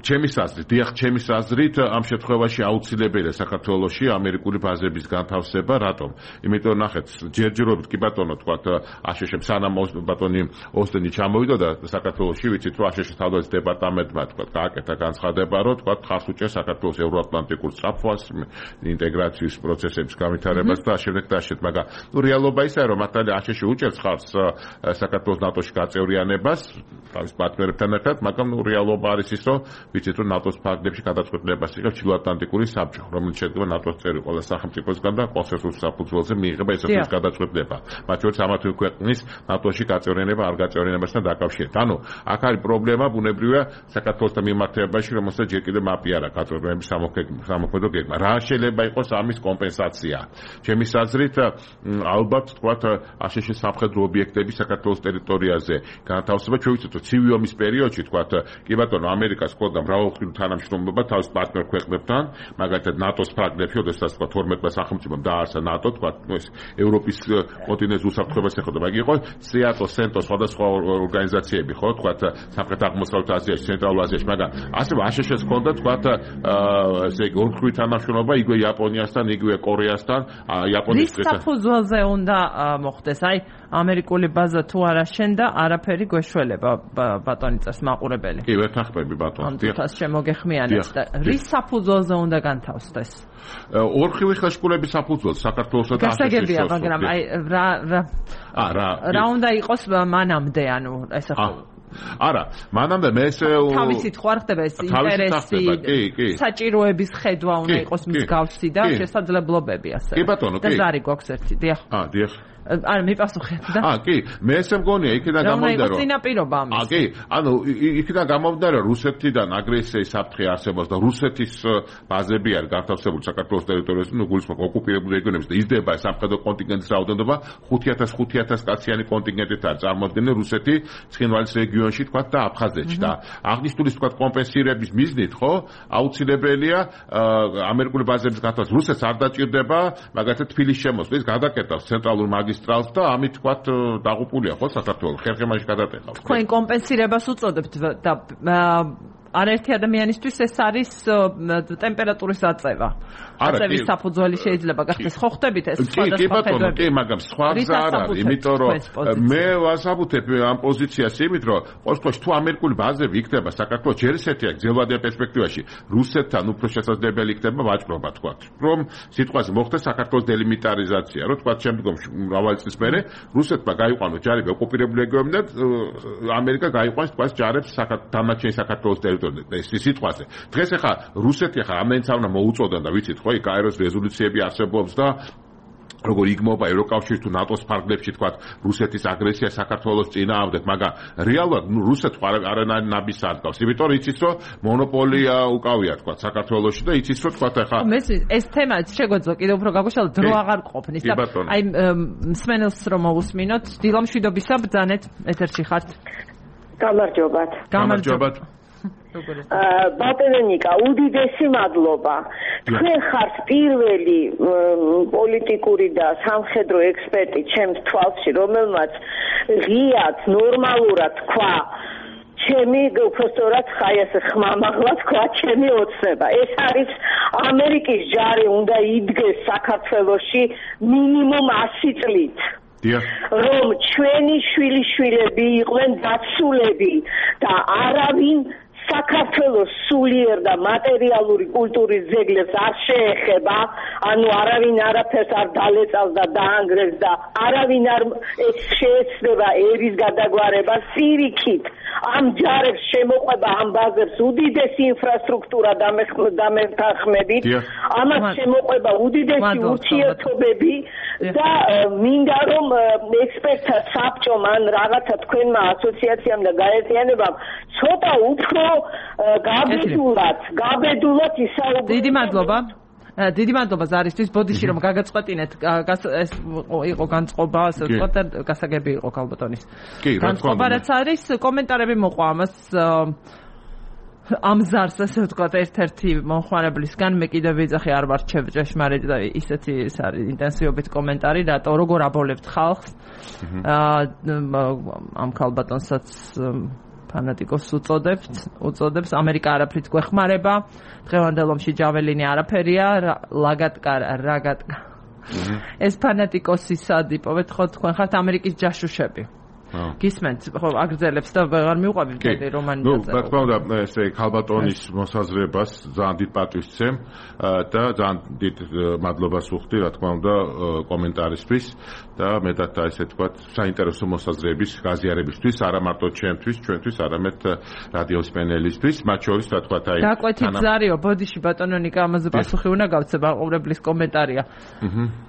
ჩემი აზრით, დიახ, ჩემი აზრით ამ შემთხვევაში აუცილებელია საქართველოში ამერიკული ბაზების განთავსება, რატომ? იმიტომ ნახეთ, ჯერჯერობით კი ბატონო თქვა აშშ სანამ ბატონი ოსტენი ჩამოვიდა და საქართველოში ვიცით რომ აშშ თავდაცვის დეპარტამენტმა თქვა გააკეთა განცხადება რომ თქვა ხარს უჭერს საქართველოს ევროატლანტიკურ საფუას ინტეგრაციის პროცესების განვითარებას და შემდეგ და ასეთ მაგრამ ნუ რეალობა ისაა რომ მართალია აშშ უჭერს ხარს საქართველოს ნატოში გაწევრიანებას თავის პარტნიორებთან ერთად მაგრამ ნუ რეალობა არის ის რომ ვიცით რომ ნატოს ფარგლებში გადაწყვეტილებას იღებს ჩრდილოატლანტიკური საბჭო რომელიც შედგება ნატოს წევრი ყველა სახელმწიფოსგან და კონსენსუსის საფუძველზე მიიღება ესეთი გადაწყვეტილება მათ შორის ამა თუ ქვეყნის ნატოში გაწევრიანება არ გაწევრიანებასთან დაკავშირებით. ანუ აქ არის პრობლემა ბუნებრივია საქართველოსთან მიმართებაში, რომელსაც ჯერ კიდევ მაპიარა გაწევრიანების სამოქმედო გეგმა. რა შეიძლება იყოს ამის კომპენსაცია? ჩემი აზრით, ალბათ თქვათ აშშ სამხედრო ობიექტები საქართველოს ტერიტორიაზე განთავსება. ჩვენ ვიცით, რომ ცივი ომის პერიოდში თქვათ, კი ბატონო, ამერიკას ჰქონდა მრავალმხრივი თანამშრომლობა თავის პარტნიორ ქვეყნებთან, მაგალითად ნატოს ფრაგმენტებში, როდესაც თქვათ თორმეტმა სახელმწიფომ დაარსა ნატო, თქვათ ეს ევროპის კონტინენტის უსაფრთხოებას ეხება, მაგ იყო სიატო, სენტო, სხვადასხვა ორგანიზაციები, ხო, თქვათ სამხრეთ აღმოსავლეთ აზიაში, ცენტრალურ აზიაში, მაგრამ ასევე აშშ-ს ჰქონდა თქვათ ესე იგი ორმხრივი თანამშრომლობა იგვე იაპონიასთან, იგვე კორეასთან, იაპონიის დღესთან. რის საფუძველზე უნდა მოხდეს? აი, ამერიკული ბაზა თუ არა შენდა, არაფერი გვეშველება ბატონი წას მაყურებელი. კი, ვერ თანხმები ბატონო. ამ თავს შემოგეხმიანეთ და რის საფუძველზე უნდა განთავსდეს? ორმხრივი ხელშეკრულების საფუძველზე საქართველოსა და აშშ-ს. გასაგებია, მაგრამ აი რა რა რა რა უნდა იყოს მანამდე, ანუ ეს ახლა არა, მანამდე მე ესე თავისით ხო არ ხდება ეს ინტერესი, საჭიროების ხედვა უნდა იყოს მსგავსი და შესაძლებლობები ასე. კი ბატონო, კი. და ზარი გვაქვს ერთი, დიახ. აა, დიახ. არა, მიპასუხეთ და. აა, კი, მე ესე მგონია, იქიდან გამომდინარე რომ. რა წინაპირობა ამის? აა, კი, ანუ იქიდან გამომდინარე რომ რუსეთიდან აგრესიის საფრთხე არსებობს და რუსეთის ბაზები არის განთავსებული საქართველოს ტერიტორიაზე, ნუ გულისხმობ ოკუპირებულ რეგიონებში და იზრდება სამხედრო კონტინგენტის რაოდენობა ხუთ ათას ხუთ ათას კაციანი კონტინგენტით არის წარმოადგენილი რუსეთი ცხინვალის რეგიონში თქვა და აფხაზეთში და აღნიშნული თქვა კომპენსირების მიზნით, ხო, აუცილებელია ამერიკული ბაზების განთავსება. რუსეთს არ დაჭირდება მაგალითად თბილისის შემოსვლის გადაკეთავს ცენტრალურ მაგისტრალს და ამით თქვა დაღუპულია ხო საქართველოს ხერხემაში გადატეხავს. თქვენ კომპენსირებას უწოდებთ და არაერთი ადამიანისთვის ეს არის ტემპერატურის აწევა. აწევის საფუძველი შეიძლება გახდეს. ხო ხდებით ეს სხვადასხვა ხედვები? კი, მაგრამ სხვა გზა არ არის, იმიტომ რომ მე ვასაბუთებ ამ პოზიციას იმით, რომ ყოველთვის თუ ამერიკული ბაზები იქნება საქართველოს ჯერ ისეთია გრძელვადიან პერსპექტივაში, რუსეთთან უფრო შესაძლებელი იქნება ვაჭრობა თქვა. რომ სიტყვაზე მოხდეს საქართველოს დელიმიტარიზაცია, რომ თქვა შემდგომში მრავალი წლის მერე რუსეთმა გაიყვანოს ჯარები ოკუპირებულ რეგიონებში და ამერიკა გაიყვანს თქვა ჯარებს დანარჩენ საქართველოს ტერიტორიაზე. ეს სიტყვაზე. დღეს ახლა რუსეთი ახლა ამდენიც არ უნდა მოუწოდონ და ვიცით ხო, კაიროს რეზოლუციები არსებობს და როგორ იგმობა ევროკავშირის თუ ნატოს ფარგლებში თქვა რუსეთის აგრესია საქართველოს წინააღმდეგ, მაგრამ რეალურად რუსეთს არანაირ ნაბის არ გავს. იმიტომ რომ იცის რომ მონოპოლია უკავია თქვა საქართველოში და იცის რომ თქვა ახლა ეს თემა შეგვეძლო კიდევ უფრო გაგუშალოთ, დრო აღარ ყოფნის და აი მსმენელს რომ მოусმინოთ, დილამშვიდობისა ბრძანეთ ეთერში ხართ. გამარჯობათ. გამარჯობათ. ბატონიკა, უდიდესი მადლობა. თქვენ ხართ პირველი პოლიტიკური და სამხედრო ექსპერტი ჩემს თვალში, რომელმაც ღიად, ნორმალურად თქვა ჩემი უბრალოდ ხაიას ხმამაღლა თქვა ჩემი ოცნება. ეს არის ამერიკის ჯარი უნდა იდგეს საქართველოში მინიმუმ ასი წლით. რომ ჩვენი შვილიშვილები იყვნენ დაცულები და არავინ საქართველოს სულიერ და მატერიალური კულტურის ძეგლებს არ შეეხება, ანუ არავინ არაფერს არ დალეწავს და დაანგრევს და არავინ არ შეეცდება ერის გადაგვარება. სირიქით ამ ჯარებს შემოყვება ამ ბაზებს უდიდესი ინფრასტრუქტურა დამეთანხმებით, ამას შემოყვება უდიდესი ურთიერთობები და მინდა რომ ექსპერტთა საბჭომ ან რაღაცა თქვენმა ასოციაციამ და გაერთიანებამ ცოტა უფრო გაბედულად, გაბედულად ისაუბროთ. დიდი მადლობა. დიდი მადლობა ზარისთვის, ბოდიში რომ გაგაწყვეტინეთ, ეს იყო განწყობა, ასე ვთქვათ და გასაგები იყო ქალბატონის. კი, რა თქმა უნდა. განწყობა რაც არის, კომენტარები მოყვა ამას ამ ზარს ასე ვთქვათ ერთ-ერთი მომხმარებლისგან მე კიდევ ვიძახი არ ვარ ჭეშმარიტ და ისეთი ის არის ინტენსივობით კომენტარი რატო როგორ აბოლებთ ხალხს ამ ქალბატონსაც ფანატიკოს უწოდებთ უწოდებს ამერიკა არაფრით გვეხმარება დღევანდელ ომში ჯაველინი არაფერია ლაგატკარ რაგატკა ეს ფანატიკოსისად იპოვეთ ხო თქვენ ხართ ამერიკის ჯაშუშები გისმენთ ხო აგრძელებს და ვეღარ მიუყვებით მე რომანიზაცია. ნუ რა თქმა უნდა ესე ქალბატონის მოსაზრებას ძალიან დიდ პატივს ვცემ და ძალიან დიდ მადლობას ვუხდი რა თქმა უნდა კომენტარისთვის და მეტად ესე თქვა საინტერესო მოსაზრების გაზიარებისთვის არა მარტო ჩემთვის, ჩვენთვის, არამედ რადიოს პენელისთვის, მათ შორის რა თქვა აი დაკვეთით ზარიო ბოდიში ბატონო ნიკა ამაზე პასუხი უნდა გავცე მაყურებლის კომენტარია.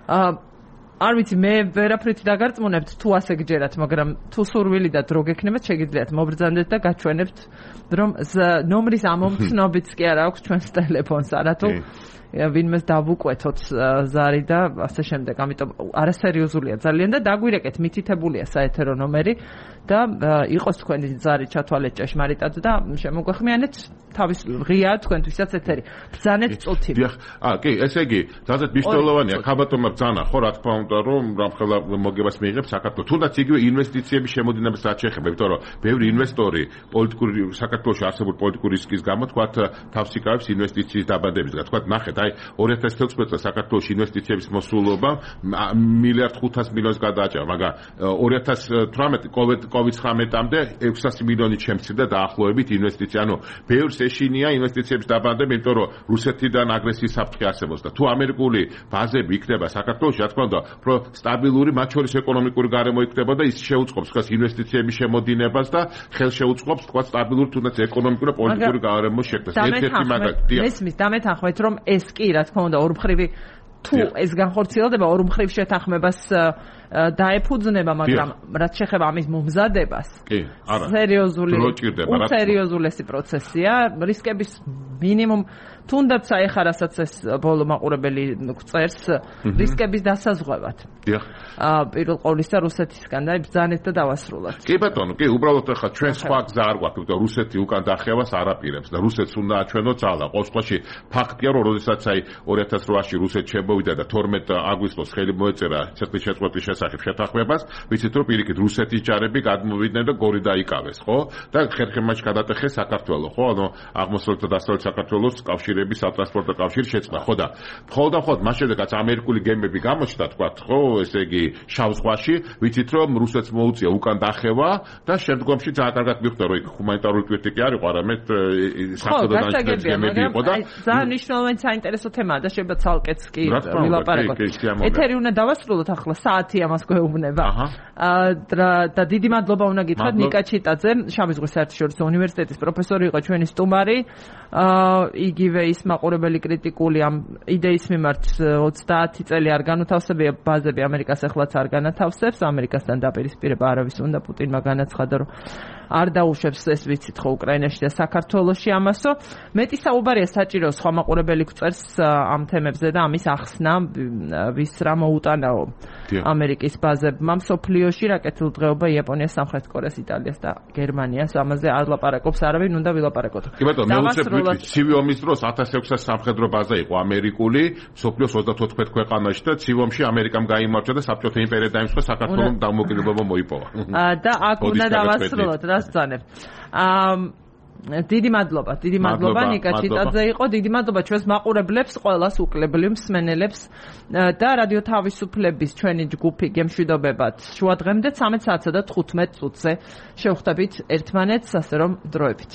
აა არ ვიცი მე ვერაფრით დაგარწმუნებთ თუ ასე გჯერათ მაგრამ თუ სურვილი და დრო გექნებათ შეგიძლიათ მობრძანდეთ და გაჩვენებთ რომ ნომრის ამომცნობიც კი არ აქვს ჩვენს ტელეფონს არათუ ვინმეს დავუკვეთოთ ზარი და ასე შემდეგ ამიტომ არასერიოზულია ძალიან და დაგვირეკეთ მითითებულია საეთერო ნომერი და იყოს თქვენი ზარი ჩათვალეთ ჭეშმარიტად და შემოგვეხმიანეთ თავის ღია თქვენთვისაც ეთერი ბრძანეთ წუთი დიახ აა კი ესე იგი ძალზედ მნიშვნელოვანია ქალბატონმა ბრძანა ხო რა თქმა უნდა რომ რამხელა მოგებას მიიღებს საქართველოს თუნდაც იგივე ინვესტიციების შემოდინებას რაც შეეხება იმიტომ რომ ბევრი ინვესტორი პოლიტიკური საქართველოში არსებულ პოლიტიკური რისკის გამო თქვათ თავს იკავებს ინვესტიციის დაბადებისგან თქვათ ნახეთ აი ორი ათას თექვსმეტ წელს საქართველოში ინვესტიციების მოსულობა მილიარდ ხუთას მილიონს გადააჭარბა მაგრამ ორი ათას თვრამეტ კოვიდ ცხრამეტამდე ექვსასი მილიონი შემცირდა დაახლოებით ინვესტიცია ანუ ბევრს ეშინია ინვესტიციების დაბადება იმიტომ რომ რუსეთიდან აგრესიის საფრთხე არსებობს და თუ ამერიკული ბაზები იქნება საქართველოში რა თქმა უნდა უფრო სტაბილური მათ შორის ეკონომიკური გარემო იქნება და ის შეუწყობს თქვა ინვესტიციების შემოდინებას და ხელს შეუწყობს თქვა სტაბილური თუნდაც ეკონომიკური და პოლიტიკური გარემოს შექმნას ერთ-ერთი მაგალითია მესმის დამეთანხმეთ რომ ეს კი რა თქმა უნდა ორმხრივი თუ ეს განხორციელდება ორმხრივ შეთანხმებას დაეფუძნება მაგრამ რაც შეეხება ამის მომზადებას კი არა სერიოზული სერიოზულესი პროცესია რისკების მინიმუმ თუნდაც ეხა რასაც ეს ბოლო მაყურებელი წერს რისკების დასაზღვევად დიახ პირველ ყოვლისა რუსეთისგან და ბრძანეთ და დავასრულოთ კი ბატონო კი უბრალოდ ეხა ჩვენ სხვა გზა არ გვაქვს იმიტომ რუსეთი უკან დახევას არაპირებს და რუსეთს უნდა აჩვენოთ ძალა ყოველ შემთხვევაში ფაქტია რომ როდესაც აი ორი ათას რვაში რუსეთი შემოვიდა და თორმეტ აგვისტოს ხელი მოეწერა ცერტის შეწყვეტის შესახებ შეთანხმებას ვიცით რომ პირიქით რუსეთის ჯარები გადმოვიდნენ და გორი დაიკავეს ხო და ხერხემაჩ გადატეხეს საქართველოს ხო ანუ აღმოსავლეთ და დასავლეთ საქართველოს კავშირი სატრანსპორტო კავშირი შეცდა ხო და მხოლოდ და მხოლოდ მას შემდეგაც ამერიკული გემები გამოჩნდა თქვა ხო ესე იგი შავ ზღვაში ვიცით რომ რუსეთს მოუწია უკან დახევა და შემდგომში ძალიან კარგად მიხვდა რომ იქ ჰუმანიტარული კრიტიკა არ იყო არამედ სახელმწიფო გემები იყო და ძალიან მნიშვნელოვანი საინტერესო თემაა და შეიძლება ცალკეც კი ვილაპარაკოთ ეთერი უნდა დავასრულოთ ახლა საათი ამას გვეუბნება და დიდი მადლობა უნდა გითხრათ ნიკა ჩიტაძე შავი ზღვის საერთაშორისო უნივერსიტეტის პროფესორი იყო ჩვენი სტუმარი იგივე ის მაყურებელი კრიტიკული ამ იდეის მიმართ ოცდაათი წელი არ განუთავსებია ბაზები ამერიკას ახლაც არ განათავსებს ამერიკასთან დაპირისპირება არავის უნდა პუტინმა განაცხადა რომ არ დაუშვებს ეს ვიცით ხო უკრაინაში და საქართველოში ამასო მეტი საუბარია საჭირო სხვა მაყურებელი გვწერს ამ თემებზე და ამის ახსნა ვის რა მოუტანაო ამერიკის ბაზებმა მსოფლიოში რაკეტულ დღეობა იაპონიას სამხრეთ კორეას იტალიას და გერმანიას ამაზე არ ლაპარაკობს არავინ უნდა ვილაპარაკოთ კი ბატონო მე უცებ ცივი ომის დროს ათას ექვსას სამხედრო ბაზა იყო ამერიკული მსოფლიოს ოცდათოთხმეტ ქვეყანაში და ცივ ომში ამერიკამ გაიმარჯვა და საბჭოთა იმპერია დაიმსხვრა საქართველოს დამოუკიდებლობა მოიპოვა და აქ უნდა დავასრულოთ რა სცანებ აა დიდი მადლობა, დიდი მადლობა ნიკა ჩიტაძე იყო, დიდი მადლობა ჩვენს მაყურებლებს, ყველას უკლებლივ მსმენელებს და რადიო თავისუფლების ჩვენი ჯგუფი გემშვიდობებად შუადღემდე ცამეტ საათსა და თხუთმეტ წუთზე შევხვდებით ერთმანეთს, ასე რომ დროებით.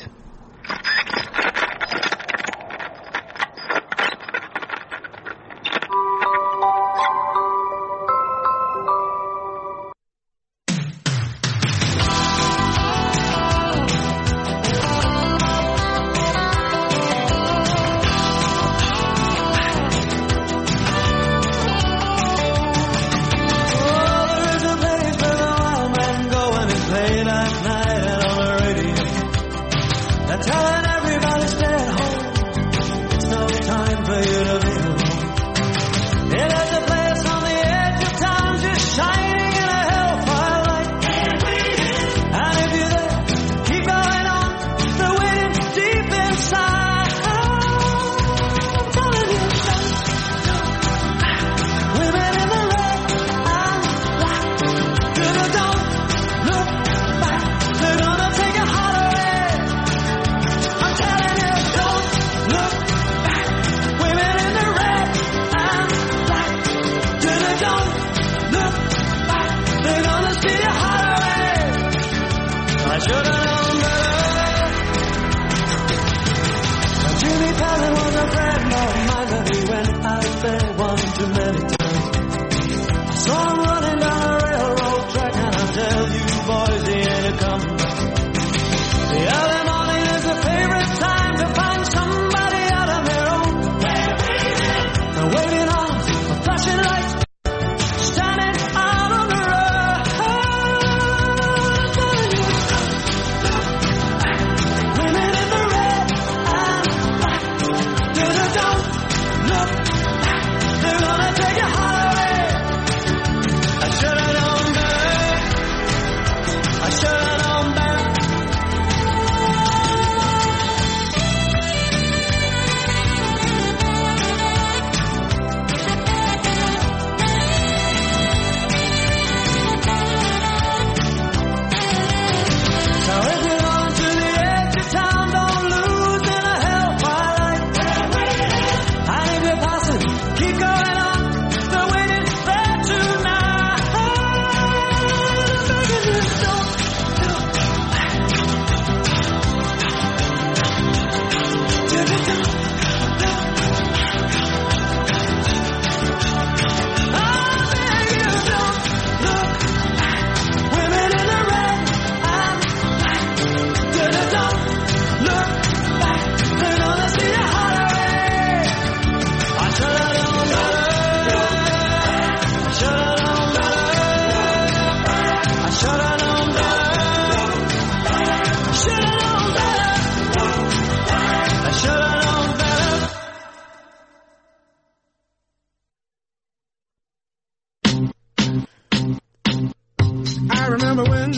remember when,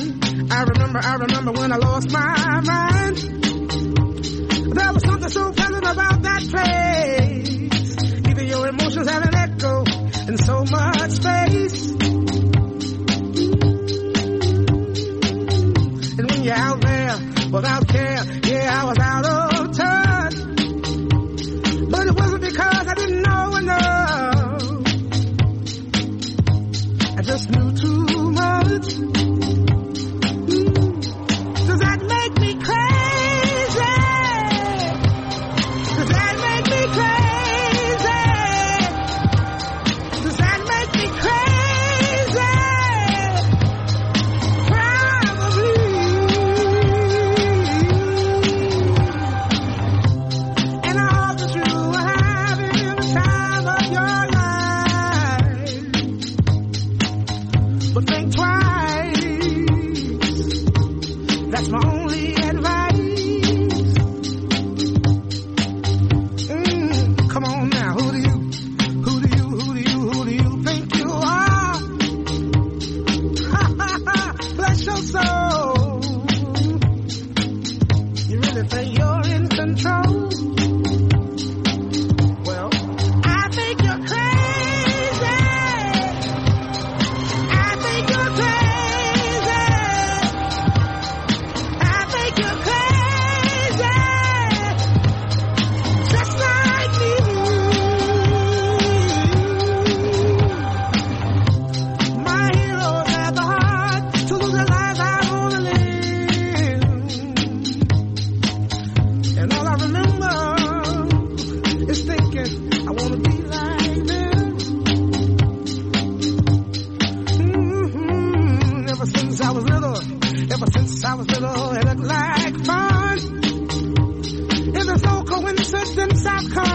I remember, I remember when I lost my mind. There was something so pleasant about that place. Even your emotions have an echo in so much space. And when you're out there without care, yeah, I was out of touch. But it wasn't because I didn't know enough. I just knew too much. Does that make me crazy? Does that make me crazy? Does that make me crazy? Probably. And I hope that you are having the time of your life. But think twice. That's my only advice. Mm, come on now, who do you, who do you, who do you, who do you think you are? Bless your soul. You really think you're in control? Well, I think you're crazy. I think you're crazy. I think you're crazy. Just like me. My heroes had the heart to lose their lives. I wanna live. And all I remember is thinking I wanna be like them. Mm-hmm. Ever since I was little, ever since I was little, it looked like fun. If there's no coincidence, I've come